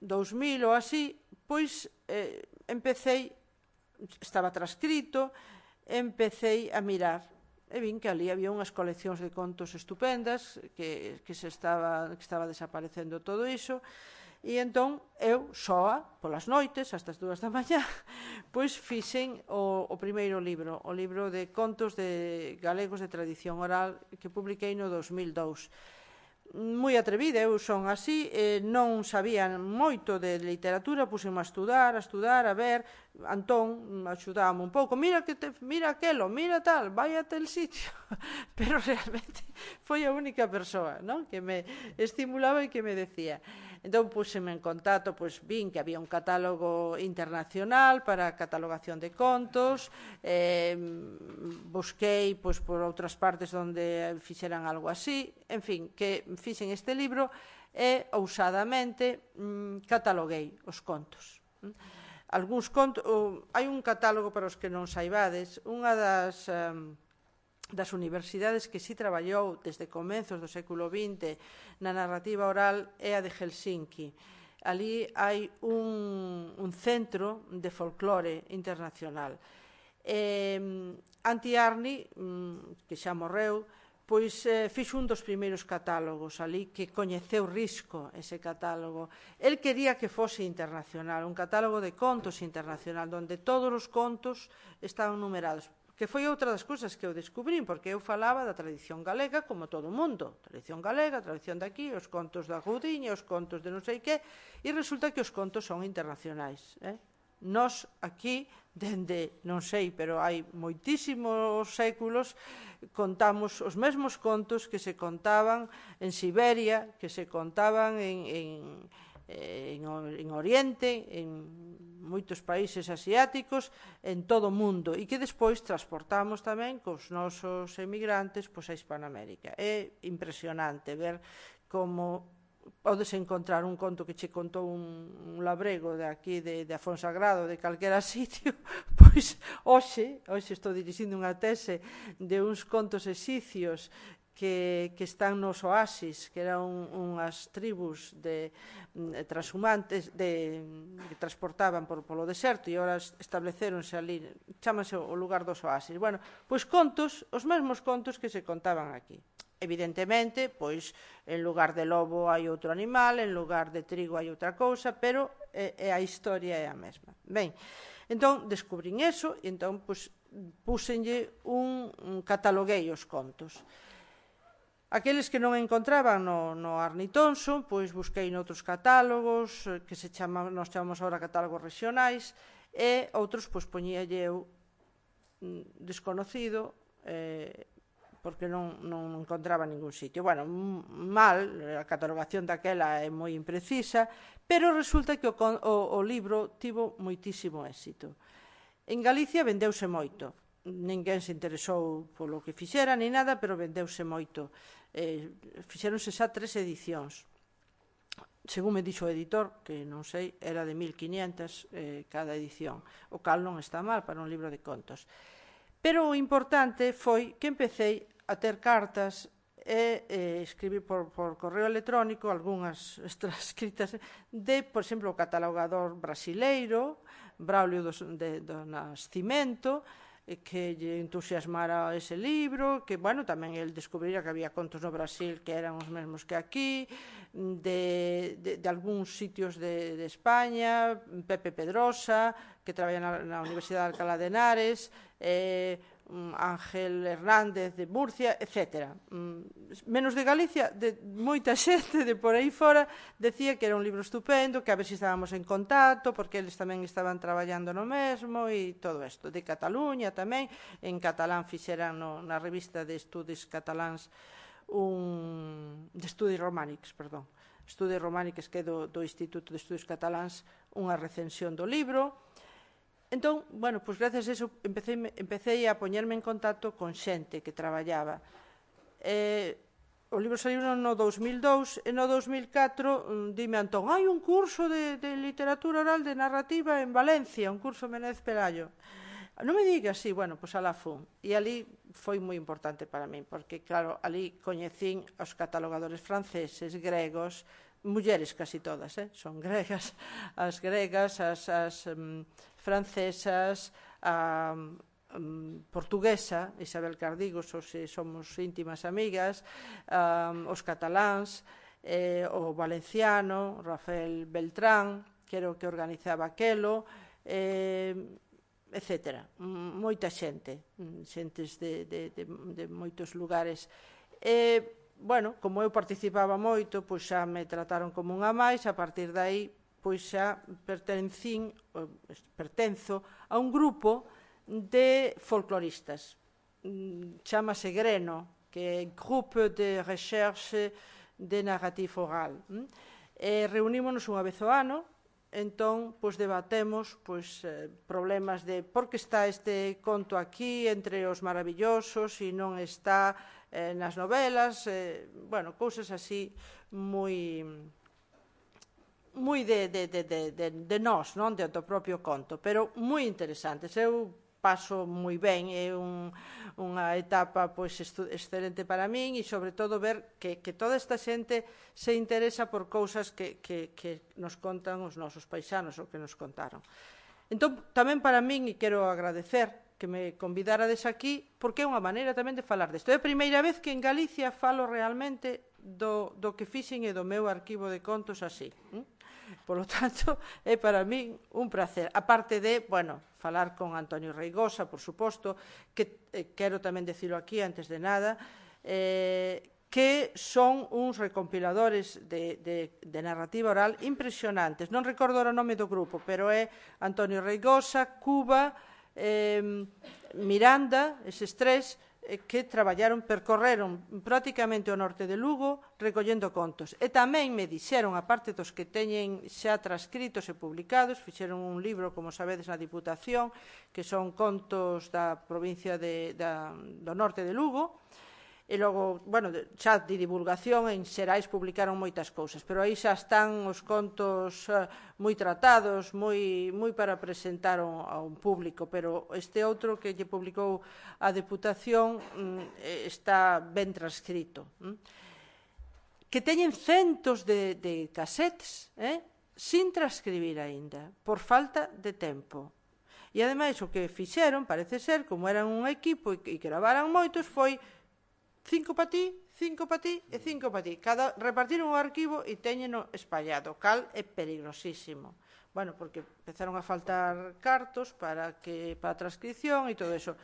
2000 ou así, pois empecé, estaba transcrito, empecé a mirar e vin que ali había unhas coleccións de contos estupendas, que estaba desaparecendo todo iso. E entón, eu, soa, polas noites, hasta as 2 da mañá, pois fixen o primeiro libro, o libro de contos de galegos de tradición oral que publiquei no 2002. Moi atrevida, eu son así, non sabía moito de literatura, puseme a estudar, a ver, Antón axudábame un pouco, mira aquelo, mira tal, vai a tel sitio, pero realmente foi a única persoa que me estimulaba e que me decía. Entón, puseme en contacto, vin que había un catálogo internacional para a catalogación de contos, busquei por outras partes onde fixeran algo así, en fin, que fixen este libro e, ousadamente, cataloguei os contos. Algúns contos, hai un catálogo para os que non saibades, unha das universidades que si traballou desde comezos do século XX na narrativa oral é a de Helsinki. Ali hai un centro de folclore internacional. Antti Arni, que xa morreu, pois fixo un dos primeiros catálogos ali, que coñeceu risco ese catálogo. El quería que fose internacional, un catálogo de contos internacional, onde todos os contos estaban numerados, que foi outra das cousas que eu descubrín, porque eu falaba da tradición galega como todo o mundo. Tradición galega, tradición daqui, os contos da Goudiña, os contos de non sei que, e resulta que os contos son internacionais. Nós aquí, dende, non sei, pero hai moitísimos séculos, contamos os mesmos contos que se contaban en Siberia, que se contaban en Oriente, en moitos países asiáticos, en todo o mundo, e que despois transportamos tamén cos nosos emigrantes a Hispanoamérica. É impresionante ver como podes encontrar un conto que che contou un labrego de aquí, de Afonsagrado, de calquera sitio, pois hoxe estou dirixindo unha tese de uns contos exicios que están nos oasis, que eran unhas tribus de transhumantes que transportaban polo deserto e ora estableceronse ali, chámase o lugar dos oasis. Bueno, pois contos, os mesmos contos que se contaban aquí. Evidentemente, pois, en lugar de lobo hai outro animal, en lugar de trigo hai outra cousa, pero a historia é a mesma. Ben, entón, descubrín eso e entón, pois, púsenlle cataloguei os contos. Aqueles que non encontraban no Arni Thompson, pois busquei noutros catálogos, que nos chamamos agora catálogos regionais, e outros, pois, poñíalle eu desconocido, porque non encontraba ningún sitio. Bueno, mal, a catalogación daquela é moi imprecisa, pero resulta que o libro tivo moitísimo éxito. En Galicia vendeuse moito, ninguén se interesou polo que fixera ni nada, pero vendeuse moito. Fixeronse xa 3 edicións. Según me dixo o editor, que non sei, era de 1500 cada edición, o cal non está mal para un libro de contos. Pero o importante foi que empecé a ter cartas e escribir por correo electrónico algunhas transcritas de, por exemplo, o catalogador brasileiro, Braulio do Nascimento, que lle entusiasmara ese libro, que, bueno, tamén el descubrira que había contos no Brasil que eran os mesmos que aquí, de algúns sitios de España, Pepe Pedrosa, que traballa na Universidade de Alcalá de Henares, Ángel Hernández de Murcia, etc. Menos de Galicia, de moita xente de por aí fora, decía que era un libro estupendo, que a ver se estábamos en contacto, porque eles tamén estaban traballando no mesmo e todo isto. De Cataluña tamén, en catalán fixeran na revista de Estudis Catalans de Estudis Romànics, perdón, Estudis Romànics, que é do Instituto de Estudis Catalans, unha recensión do libro. Entón, bueno, pois gracias a eso empecé a poñerme en contacto con xente que traballaba. O libro saliu no 2002 e no 2004 dime Antón, hai un curso de literatura oral de narrativa en Valencia, un curso Menéndez Pelayo. Non me digas, sí, bueno, pois alá fun. E ali foi moi importante para min, porque, claro, ali coñecín os catalogadores franceses, gregos, mulleres casi todas, son gregas, as gregas, as francesas, a portuguesa, Isabel Cardigos, somos íntimas amigas, os cataláns, o valenciano, Rafael Beltrán, que era o que organizaba aquelo, etc. Moita xente, xentes de moitos lugares. Bueno, como eu participaba moito, pois xa me trataron como unha máis, a partir de aí, pois xa pertenzo a un grupo de folcloristas. Chámase Greno, que é Groupe de Recherche de Narrative Oral. Reunímonos unha vez ao ano, entón, pois debatemos problemas de por que está este conto aquí entre os maravillosos e non está nas novelas, bueno, cousas así moi de nós, non? Do propio conto, pero moi interesantes. Eu paso moi ben, é unha etapa excelente para min e, sobre todo, ver que toda esta xente se interesa por cousas que nos contan os nosos paisanos, o que nos contaron. Entón, tamén para min, e quero agradecer que me convidarades aquí, porque é unha maneira tamén de falar desto. É a primeira vez que en Galicia falo realmente do que fixen e do meu arquivo de contos así. Por lo tanto, é para min un placer. Aparte de, bueno, falar con Antonio Reigosa, por suposto, que quero tamén dicilo aquí antes de nada, que son uns recompiladores de narrativa oral impresionantes. Non recordo o nome do grupo, pero é Antonio Reigosa, Cuba, Miranda, eses tres, que percorreron prácticamente o norte de Lugo recollendo contos. E tamén me dixeron, a parte dos que teñen xa transcritos e publicados, fixeron un libro, como sabedes, na Diputación, que son contos da provincia do norte de Lugo, e logo, bueno, xa de divulgación en Xerais publicaron moitas cousas, pero aí xa están os contos moi tratados, moi para presentar a un público, pero este outro que lle publicou a Deputación está ben transcrito. Que teñen centos de casetes, sin transcribir aínda, por falta de tempo. E ademais o que fixeron, parece ser, como eran un equipo e gravaran moitos, foi 5 para ti, 5 para ti e 5 para ti. Repartiron o arquivo e teñeno espallado, cal é peligrosísimo. Bueno, porque empezaron a faltar cartos para a transcripción e todo eso.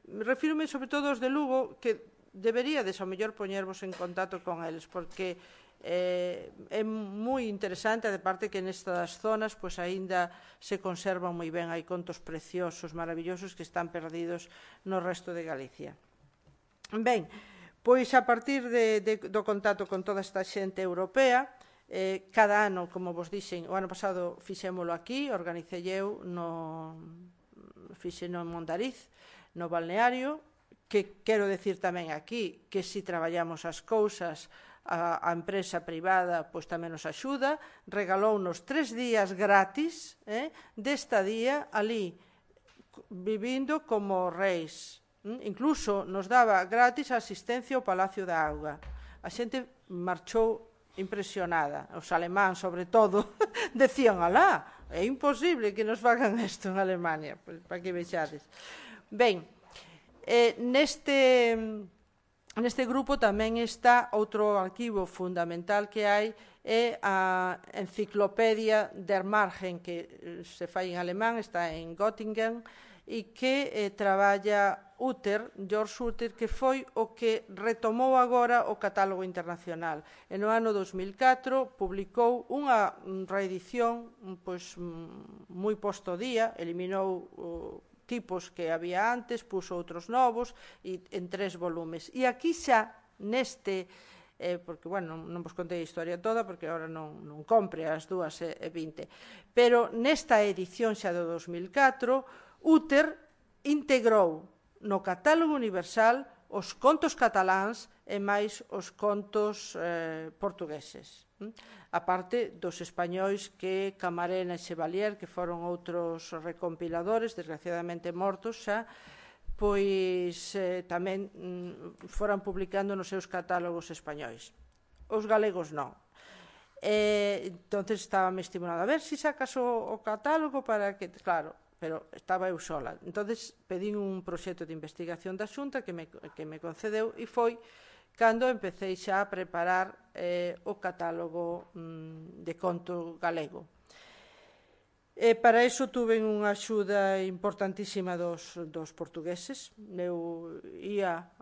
Refírome sobre todo aos de Lugo, que deberíades ao mellor poñervos en contacto con eles, porque é moi interesante, de parte que nestas zonas pois aínda se conservan moi ben, hai contos preciosos, maravillosos, que están perdidos no resto de Galicia. Ben, pois a partir do contacto con toda esta xente europea, cada ano, como vos dixen, o ano pasado fixémolo aquí, organicei eu, fixeno en Mondariz, no balneario, que quero decir tamén aquí que se traballamos as cousas, a empresa privada pois tamén nos axuda, regalounos 3 días gratis de estadía ali, vivindo como reis. Incluso nos daba gratis a asistencia ao Palacio da Auga. A xente marchou impresionada. Os alemáns, sobre todo, decían, alá, é imposible que nos fagan isto en Alemania. Pois, para que vexades. Ben, neste grupo tamén está outro arquivo fundamental que hai, é a Enciclopedia der Margen, que se fai en alemán, está en Göttingen, e que traballa George Utter, que foi o que retomou agora o catálogo internacional. E no ano 2004 publicou unha reedición pois, moi posto día, eliminou tipos que había antes, puso outros novos en 3 volumes. E aquí xa neste, porque, bueno, non vos contei a historia toda, porque agora non compre as 2:20, pero nesta edición xa do 2004, Utter integrou no catálogo universal os contos cataláns e máis os contos portugueses. A parte dos españois que Camarena e Chevalier, que foron outros recompiladores, desgraciadamente mortos xa, pois tamén foran publicando nos seus catálogos españois. Os galegos non. Entonces estaba me estimulando a ver se sacas o catálogo para que, claro, pero estaba eu sola. Entonces pedín un proxecto de investigación da Xunta que me concedeu e foi cando empecé xa a preparar o catálogo de conto galego. Para iso tuve unha axuda importantísima dos portugueses. Eu ia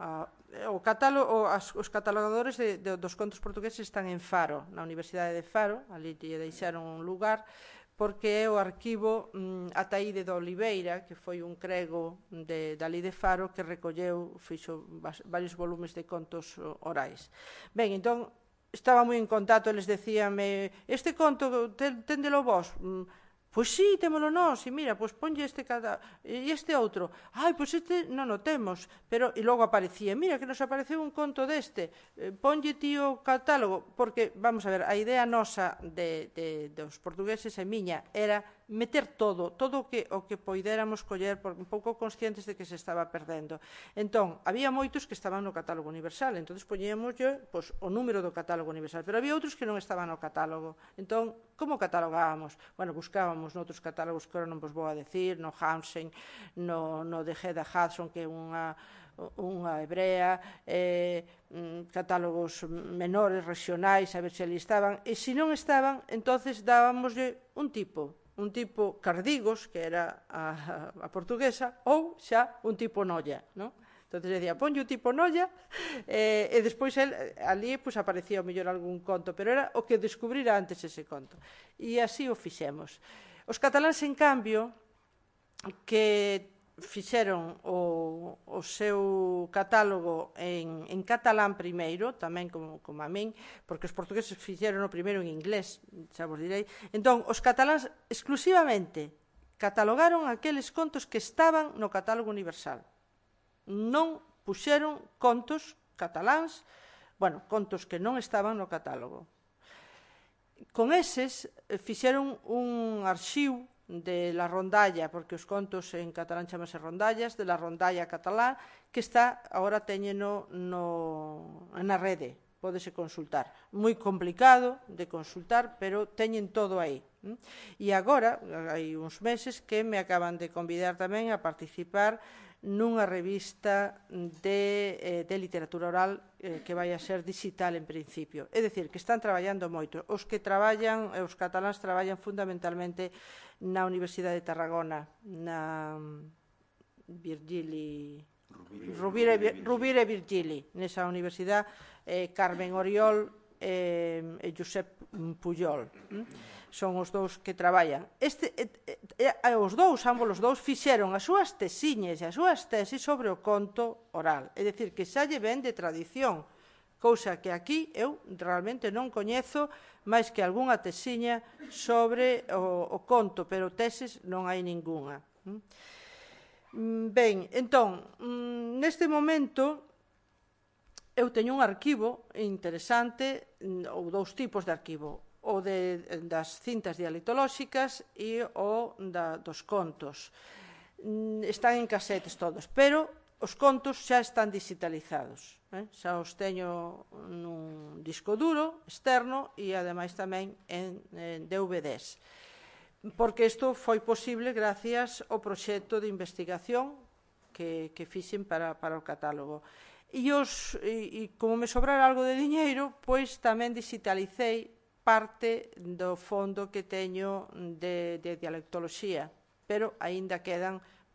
os catalogadores dos contos portugueses están en Faro, na Universidade de Faro, ali lle deixaron un lugar, porque é o arquivo Ataíde de Oliveira, que foi un crego dali de Faro, que recolleu, fixo varios volumes de contos orais. Ben, entón, estaba moi en contacto, eles decíanme, este conto, téndelo vos? Pois sí, témolo nós, e mira, pois ponlle este e este outro. Ai, pois este non o temos, pero e logo aparecía, mira que nos apareceu un conto deste, ponlle ti o catálogo, porque, vamos a ver, a idea nosa dos portugueses e miña era meter todo o que poidéramos coller, un pouco conscientes de que se estaba perdendo. Entón, había moitos que estaban no catálogo universal, entón poñíamos o número do catálogo universal, pero había outros que non estaban no catálogo. Entón, como catalogábamos? Bueno, buscábamos noutros catálogos que agora non vos vou a decir, no Hansen, no de Hedda Hudson, que é unha hebrea, catálogos menores, regionais, a ver se ali estaban, e se non estaban, entonces dábamoslle un tipo Cardigos, que era a portuguesa, ou xa un tipo Nolla, non? Entón, decía, ponlle o tipo Nolla, e despois ali aparecía o mellor algún conto, pero era o que descubrira antes ese conto. E así o fixemos. Os cataláns, en cambio, que fixeron o seu catálogo en catalán primeiro, tamén como a min, porque os portugueses fixeron o primeiro en inglés, xa vos direi. Entón, os cataláns exclusivamente catalogaron aqueles contos que estaban no catálogo universal. Non puxeron contos cataláns, bueno, contos que non estaban no catálogo. Con eses fixeron un arxivo de la rondalla, porque os contos en catalán chamase rondallas, de la rondalla catalá, que está, agora teñeno na rede, pódese consultar. Moi complicado de consultar, pero teñen todo aí. E agora, hai uns meses, que me acaban de convidar tamén a participar nunha revista de literatura oral que vai a ser digital en principio. É dicir, que están traballando moito. Os que traballan, os cataláns traballan fundamentalmente na Universidade de Tarragona, na Rovira e Virgili, nesa universidade, Carmen Oriol e Josep Pujol. Son os dous que traballan. Ambos os dous fixeron as súas tesiñas e as súas tesis sobre o conto oral. É dicir, que xa lle ven de tradición, cousa que aquí eu realmente non coñezo máis que algunha tesiña sobre o conto, pero teses non hai ningunha. Ben, entón, neste momento eu teño un arquivo interesante, ou dous tipos de arquivo, o das cintas dialectolóxicas e o dos contos. Están en casetes todos, pero os contos xa están digitalizados, xa os teño nun disco duro externo e ademais tamén en DVDs, porque isto foi posible gracias ao proxecto de investigación que fixen para o catálogo. E como me sobrara algo de diñeiro, pois tamén digitalicei parte do fondo que teño de dialectoloxía, pero aínda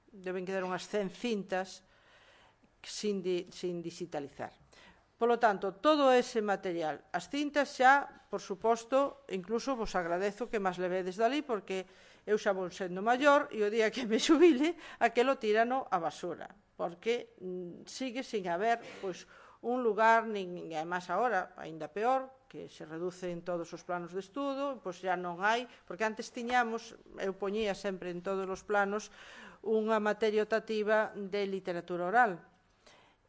deben quedar unhas 100 cintas sin digitalizar. Polo tanto, todo ese material, as cintas xa, por suposto, incluso vos agradezo que máis levedes dali, porque eu xa vou sendo maior e o día que me xubile, aquelo tírano a basura, porque sigue sin haber un lugar, nin máis agora, aínda peor, que se reducen todos os planos de estudo, pois xa non hai, porque antes tiñamos, eu poñía sempre en todos os planos, unha materia optativa de literatura oral,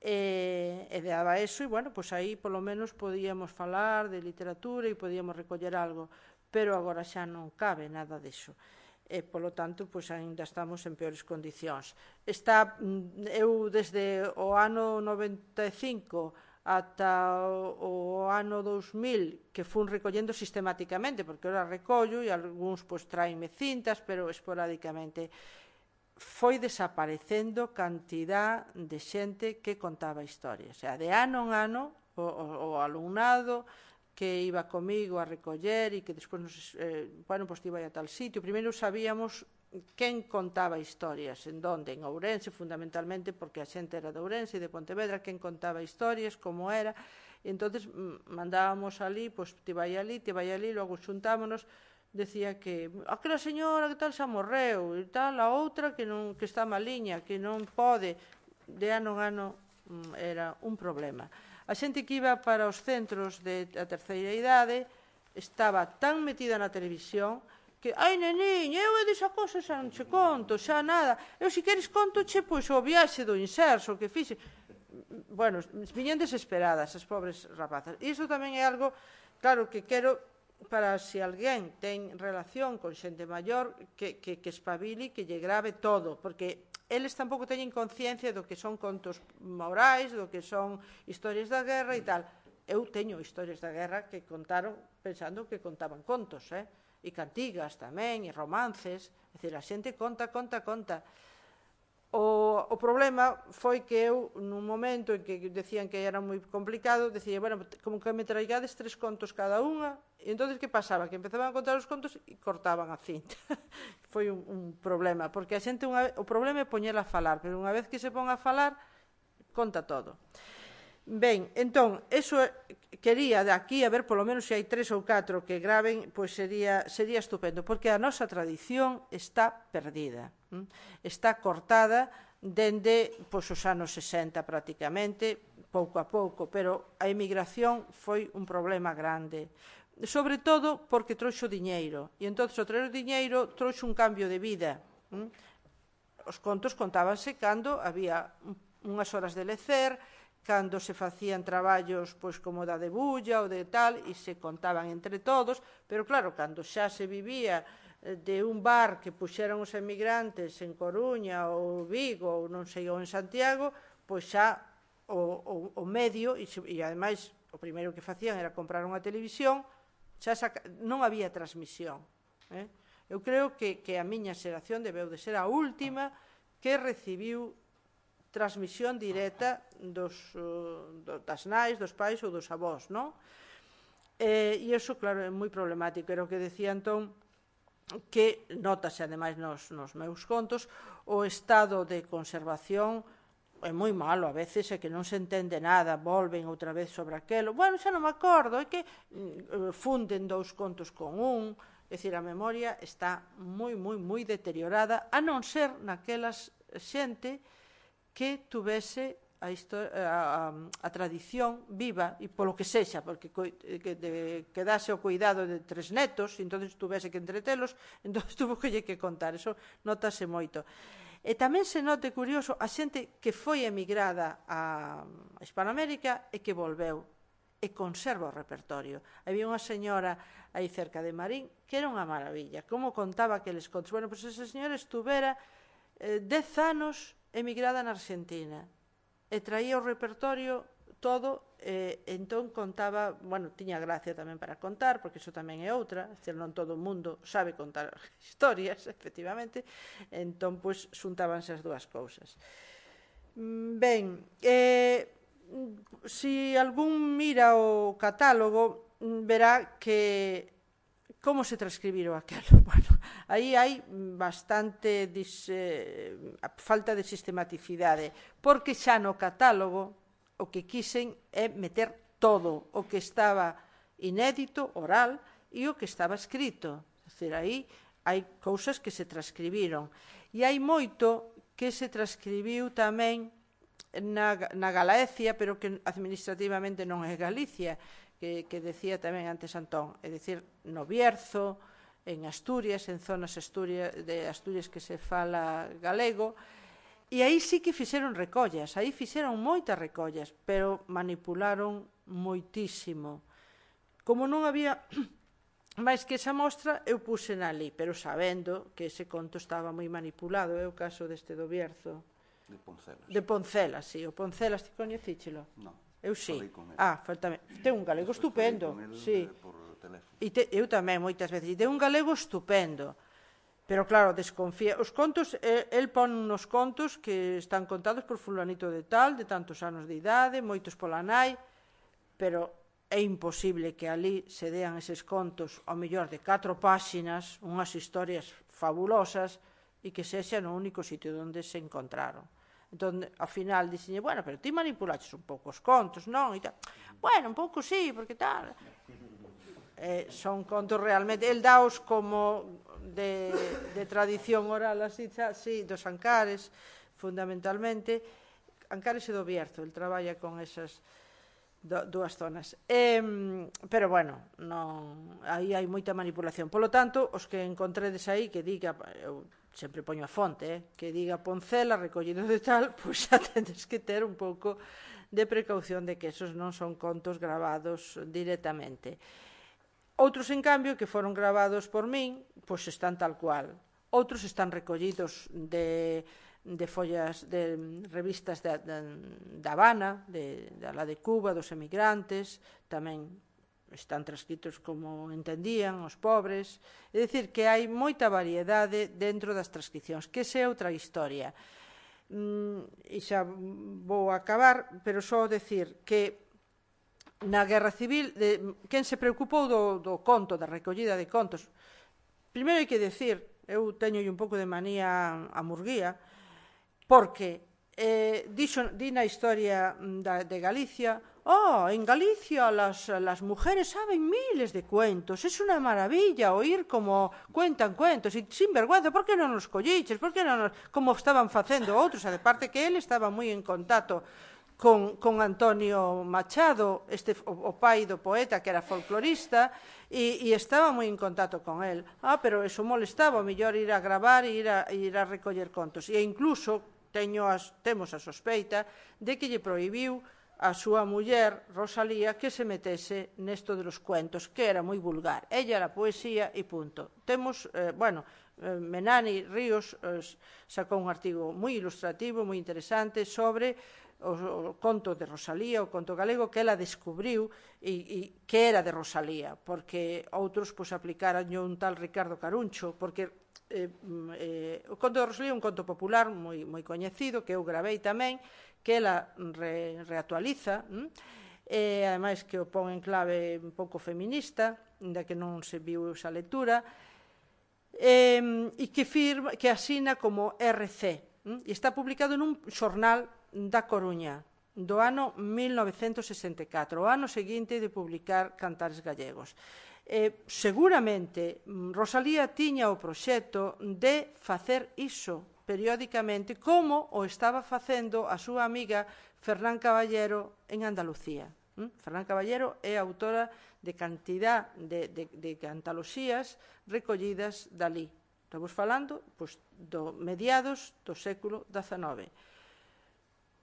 e daba eso, e, bueno, pois aí polo menos podíamos falar de literatura e podíamos recoller algo, pero agora xa non cabe nada diso. E, polo tanto, pois ainda estamos en peores condicións. Eu, desde o ano 95 ata o ano 2000, que fun recollendo sistemáticamente, porque ora recollo e algúns traenme cintas, pero esporádicamente, foi desaparecendo cantidad de xente que contaba historias. O sea, de ano en ano, o alumnado que iba comigo a recoller e que despois iba a tal sitio. Primeiro sabíamos quen contaba historias, en donde, en Ourense, fundamentalmente, porque a xente era de Ourense e de Pontevedra, quen contaba historias, como era, e entón mandábamos ali, ti vai ali, logo xuntámonos, decía que aquela señora que tal xa morreu, e tal, a outra que está maliña, que non pode, de ano en ano era un problema. A xente que iba para os centros de a terceira idade estaba tan metida na televisión que, ai, neniña, eu desa cosa xa non che conto, xa nada, eu se queres contoche, pois o viaxe do inserso que fixe. Bueno, viñen desesperadas as pobres rapazas. E iso tamén é algo, claro, que quero para se alguén ten relación con xente maior que espabile, que lle grave todo, porque eles tampouco teñen conciencia do que son contos morais, do que son historias da guerra e tal. Eu teño historias da guerra que contaron pensando que contaban contos, e cantigas tamén, e romances, é dicir, a xente conta. O problema foi que eu, nun momento en que decían que era moi complicado, decía, bueno, como que me traigades 3 contos cada unha, e entón, que pasaba? Que empezaban a contar os contos e cortaban a cinta. Foi un problema, porque a xente, o problema é poñela a falar, pero unha vez que se pon a falar, conta todo. Ben, entón, eso quería de aquí, a ver, polo menos se hai 3 ou 4 que graven, pois sería estupendo, porque a nosa tradición está perdida, está cortada dende os anos 60 prácticamente, pouco a pouco, pero a emigración foi un problema grande, sobre todo porque trouxo diñeiro, e entón, o traer o diñeiro trouxo un cambio de vida. Os contos contábanse cando había unhas horas de lecer, cando se facían traballos como da debulla ou de tal, e se contaban entre todos, pero claro, cando xa se vivía de un bar que puxeran os emigrantes en Coruña ou Vigo ou non sei, ou en Santiago, pois xa o medio, e ademais o primeiro que facían era comprar unha televisión, xa non había transmisión. Eu creo que a miña xeración debeu de ser a última que recibiu transmisión directa das nais, dos pais ou dos avós, non? E iso, claro, é moi problemático. Era o que decía entón, que notase, ademais, nos meus contos, o estado de conservación é moi malo, a veces é que non se entende nada, volven outra vez sobre aquelo. Bueno, xa non me acordo, é que funden 2 contos con un, é dicir, a memoria está moi deteriorada, a non ser naquelas xente que tuvese a tradición viva, e polo que sexa, porque quedase o cuidado de 3 netos, e entón tuvese que entretelos, entón tuvo que contar, eso notase moito. E tamén se note curioso a xente que foi emigrada a Hispanoamérica e que volveu e conserva o repertorio. Había unha señora aí cerca de Marín que era unha maravilla, como contaba aqueles contos. Bueno, pois esa señora estuvera 10 anos emigrada na Argentina e traía o repertorio todo, entón contaba, bueno, tiña gracia tamén para contar, porque iso tamén é outra, non todo o mundo sabe contar historias, efectivamente, entón, pois, xuntábanse as dúas cousas. Ben, se algún mira o catálogo, verá que como se transcribiron aquelo. Bueno, aí hai bastante falta de sistematicidade, porque xa no catálogo o que quixen é meter todo o que estaba inédito, oral, e o que estaba escrito. É dicir, aí hai cousas que se transcribiron. E hai moito que se transcribiu tamén na Galaecia, pero que administrativamente non é Galicia, que decía tamén antes Antón, é dicir, no Bierzo, en Asturias, en zonas de Asturias que se fala galego, e aí sí que fixeron recollas, aí fixeron moitas recollas, pero manipularon moitísimo. Como non había máis que esa mostra, eu puxen ali, pero sabendo que ese conto estaba moi manipulado, é o caso deste do Bierzo. De Poncelas. De Poncelas, sí. O Poncelas, ti coñecíchelo? Non. Eu sí. Falei con el. Faltame. Ten un galego estupendo. Falei con el, sí. por teléfono. Eu tamén, moitas veces. E ten un galego estupendo. Pero claro, desconfía. Os contos, el pon unos contos que están contados por fulanito de tal, de tantos anos de idade, moitos pola nai, pero é imposible que ali se dean eses contos ao mellor de 4 páxinas, unhas historias fabulosas, e que sexa no único sitio onde se encontraron. Entón, ao final, dixenlle, bueno, pero ti manipulaches un pouco os contos, non? E tal. Bueno, un pouco sí, porque tal... son contos realmente... El daos como de tradición oral, así, sí, dos Ancares, fundamentalmente. Ancares e do Bierzo, el traballa con esas dúas zonas. Pero, bueno, aí hai moita manipulación. Polo tanto, os que encontredes aí que diga... Eu sempre poño a fonte, que diga Poncela, recollido de tal, pois xa tendes que ter un pouco de precaución de que esos non son contos gravados directamente. Outros, en cambio, que foron gravados por min, pois están tal cual. Outros están recollidos de follas, de revistas da Habana, da de Cuba, dos emigrantes, tamén están transcritos como entendían os pobres. É dicir, que hai moita variedade dentro das transcripcións, que esa é outra historia. E xa vou acabar, pero só decir que na Guerra Civil, quen se preocupou do conto, da recollida de contos, primeiro hai que decir, eu teño un pouco de manía a Murguía, porque di na historia de Galicia, en Galicia las mujeres saben miles de cuentos, es una maravilla oír como cuentan cuentos, e sin vergüenza, por que non nos colliches, por que non nos... como estaban facendo outros, a de parte que ele estaba moi en contacto con Antonio Machado, o pai do poeta que era folclorista, e estaba moi en contacto con el. Pero eso molestaba, o mellor ir a gravar e ir a recoller contos. E incluso temos a sospeita de que lle prohibiu a súa muller, Rosalía, que se metese nesto de los cuentos, que era moi vulgar. Ella era poesía e punto. Temos, Menani Ríos sacou un artigo moi ilustrativo, moi interesante, sobre o conto de Rosalía, o conto galego, que ela descubriu e que era de Rosalía, porque outros aplicaran un tal Ricardo Caruncho, porque o conto de Rosalía é un conto popular moi coñecido, que eu gravei tamén, que ela reactualiza, e ademais que o pon en clave un pouco feminista, ainda que non se viu esa lectura, e que asina como RC, e está publicado nun xornal da Coruña, do ano 1964, o ano seguinte de publicar Cantares Gallegos. Seguramente Rosalía tiña o proxecto de facer iso periódicamente, como o estaba facendo a súa amiga Fernán Caballero en Andalucía. Fernán Caballero é autora de cantidad de antoloxías recollidas dali, Estamos falando do mediados do século XIX.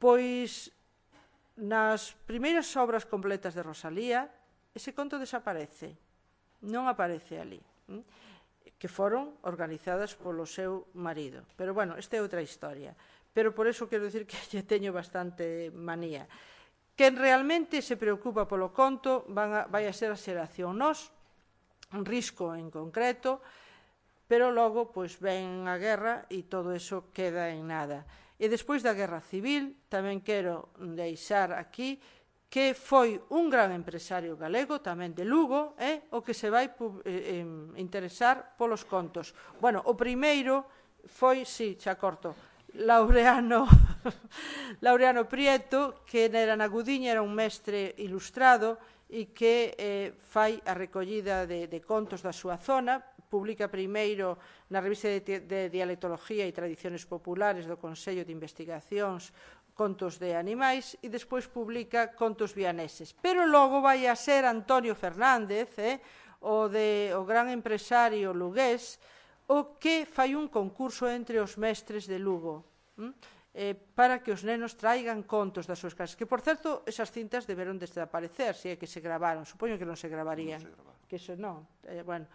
Pois, nas primeiras obras completas de Rosalía, ese conto desaparece, non aparece ali, que foron organizadas polo seu marido. Pero, bueno, esta é outra historia. Pero por eso quero dicir que lle teño bastante manía. Quen realmente se preocupa polo conto vai a ser a xeración nós, un risco en concreto, pero logo ven a guerra e todo eso queda en nada. E despois da Guerra Civil, tamén quero deixar aquí que foi un gran empresario galego, tamén de Lugo, o que se vai interesar polos contos. Bueno, o primeiro foi, xa corto, Laureano Prieto, que era na Gudiña, era un mestre ilustrado e que fai a recollida de contos da súa zona. Publica primeiro na revista de Dialectología e Tradiciones Populares do Consello de Investigacións contos de animais e despois publica contos vianeses. Pero logo vai a ser Antonio Fernández, o gran empresario lugués, o que fai un concurso entre os mestres de Lugo para que os nenos traigan contos das súas casas. Que, por certo, esas cintas deberon desaparecer, se é que se gravaron. Supoño que non se gravarían. Que eso non. Bueno.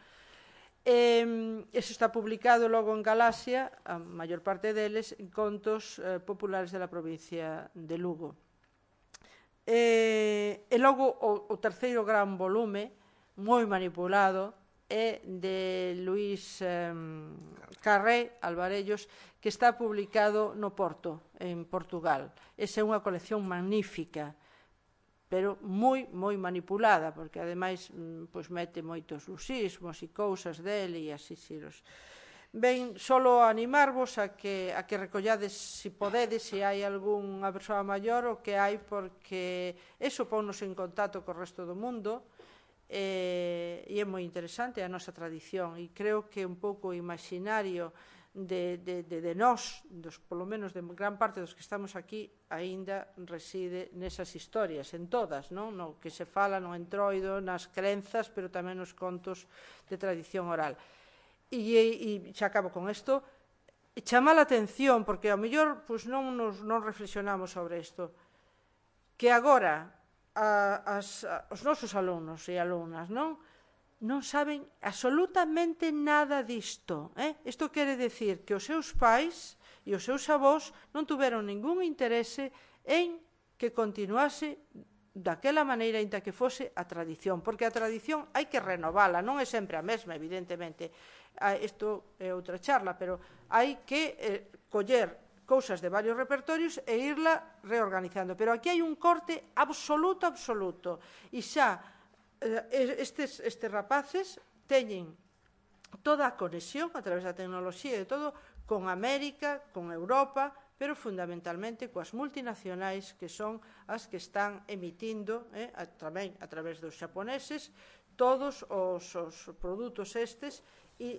Eso está publicado logo en Galaxia, a maior parte deles, en contos populares da provincia de Lugo. E logo o terceiro gran volume, moi manipulado, é de Luís Carré Alvarellos, que está publicado no Porto, en Portugal. Esa é unha colección magnífica, pero moi manipulada, porque ademais mete moitos lusismos e cousas dele e así xiros. Ben, solo animarvos a que recollades, se podedes, se hai algunha persoa maior, o que hai, porque eso ponnos en contacto co resto do mundo, e é moi interesante a nosa tradición, e creo que un pouco o imaginario de nós, polo menos de gran parte dos que estamos aquí, aínda reside nesas historias, en todas, no que se fala no entroido, nas crenzas, pero tamén nos contos de tradición oral. E xa acabo con isto, chama a atención, porque ao mellor non reflexionamos sobre isto, que agora os nosos alumnos e alumnas non saben absolutamente nada disto. Isto quere decir que os seus pais e os seus avós non tuveron ningún interese en que continuase daquela maneira en que fose a tradición, porque a tradición hai que renovala, non é sempre a mesma, evidentemente. Isto é outra charla, pero hai que coller cousas de varios repertorios e irla reorganizando. Pero aquí hai un corte absoluto, e xa estes rapaces teñen toda a conexión a través da tecnoloxía e de todo con América, con Europa, pero fundamentalmente coas multinacionais, que son as que están emitindo tamén a través dos xaponeses todos os produtos estes, e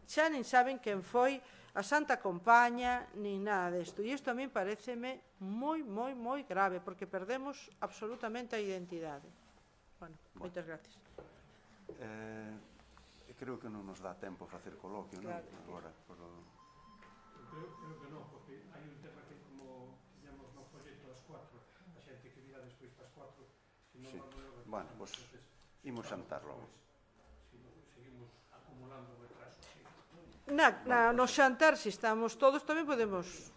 xa nin saben quen foi a Santa Compaña, nin nada desto. E isto a mí pareceme moi grave, porque perdemos absolutamente a identidade. Bueno, moitas gracias. Creo que non nos dá tempo a facer coloquio, non? Agora, Creo que non, porque hai un tema que, como tiñamos no folleto ás 4, a xente que virá despois das 4, se non vamos... Bueno, pois imos xantar logo. Seguimos acumulando retrasos. No xantar, se estamos todos, tamén podemos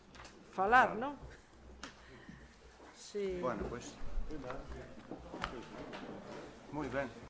falar, non? Bueno, pois... Moi ben.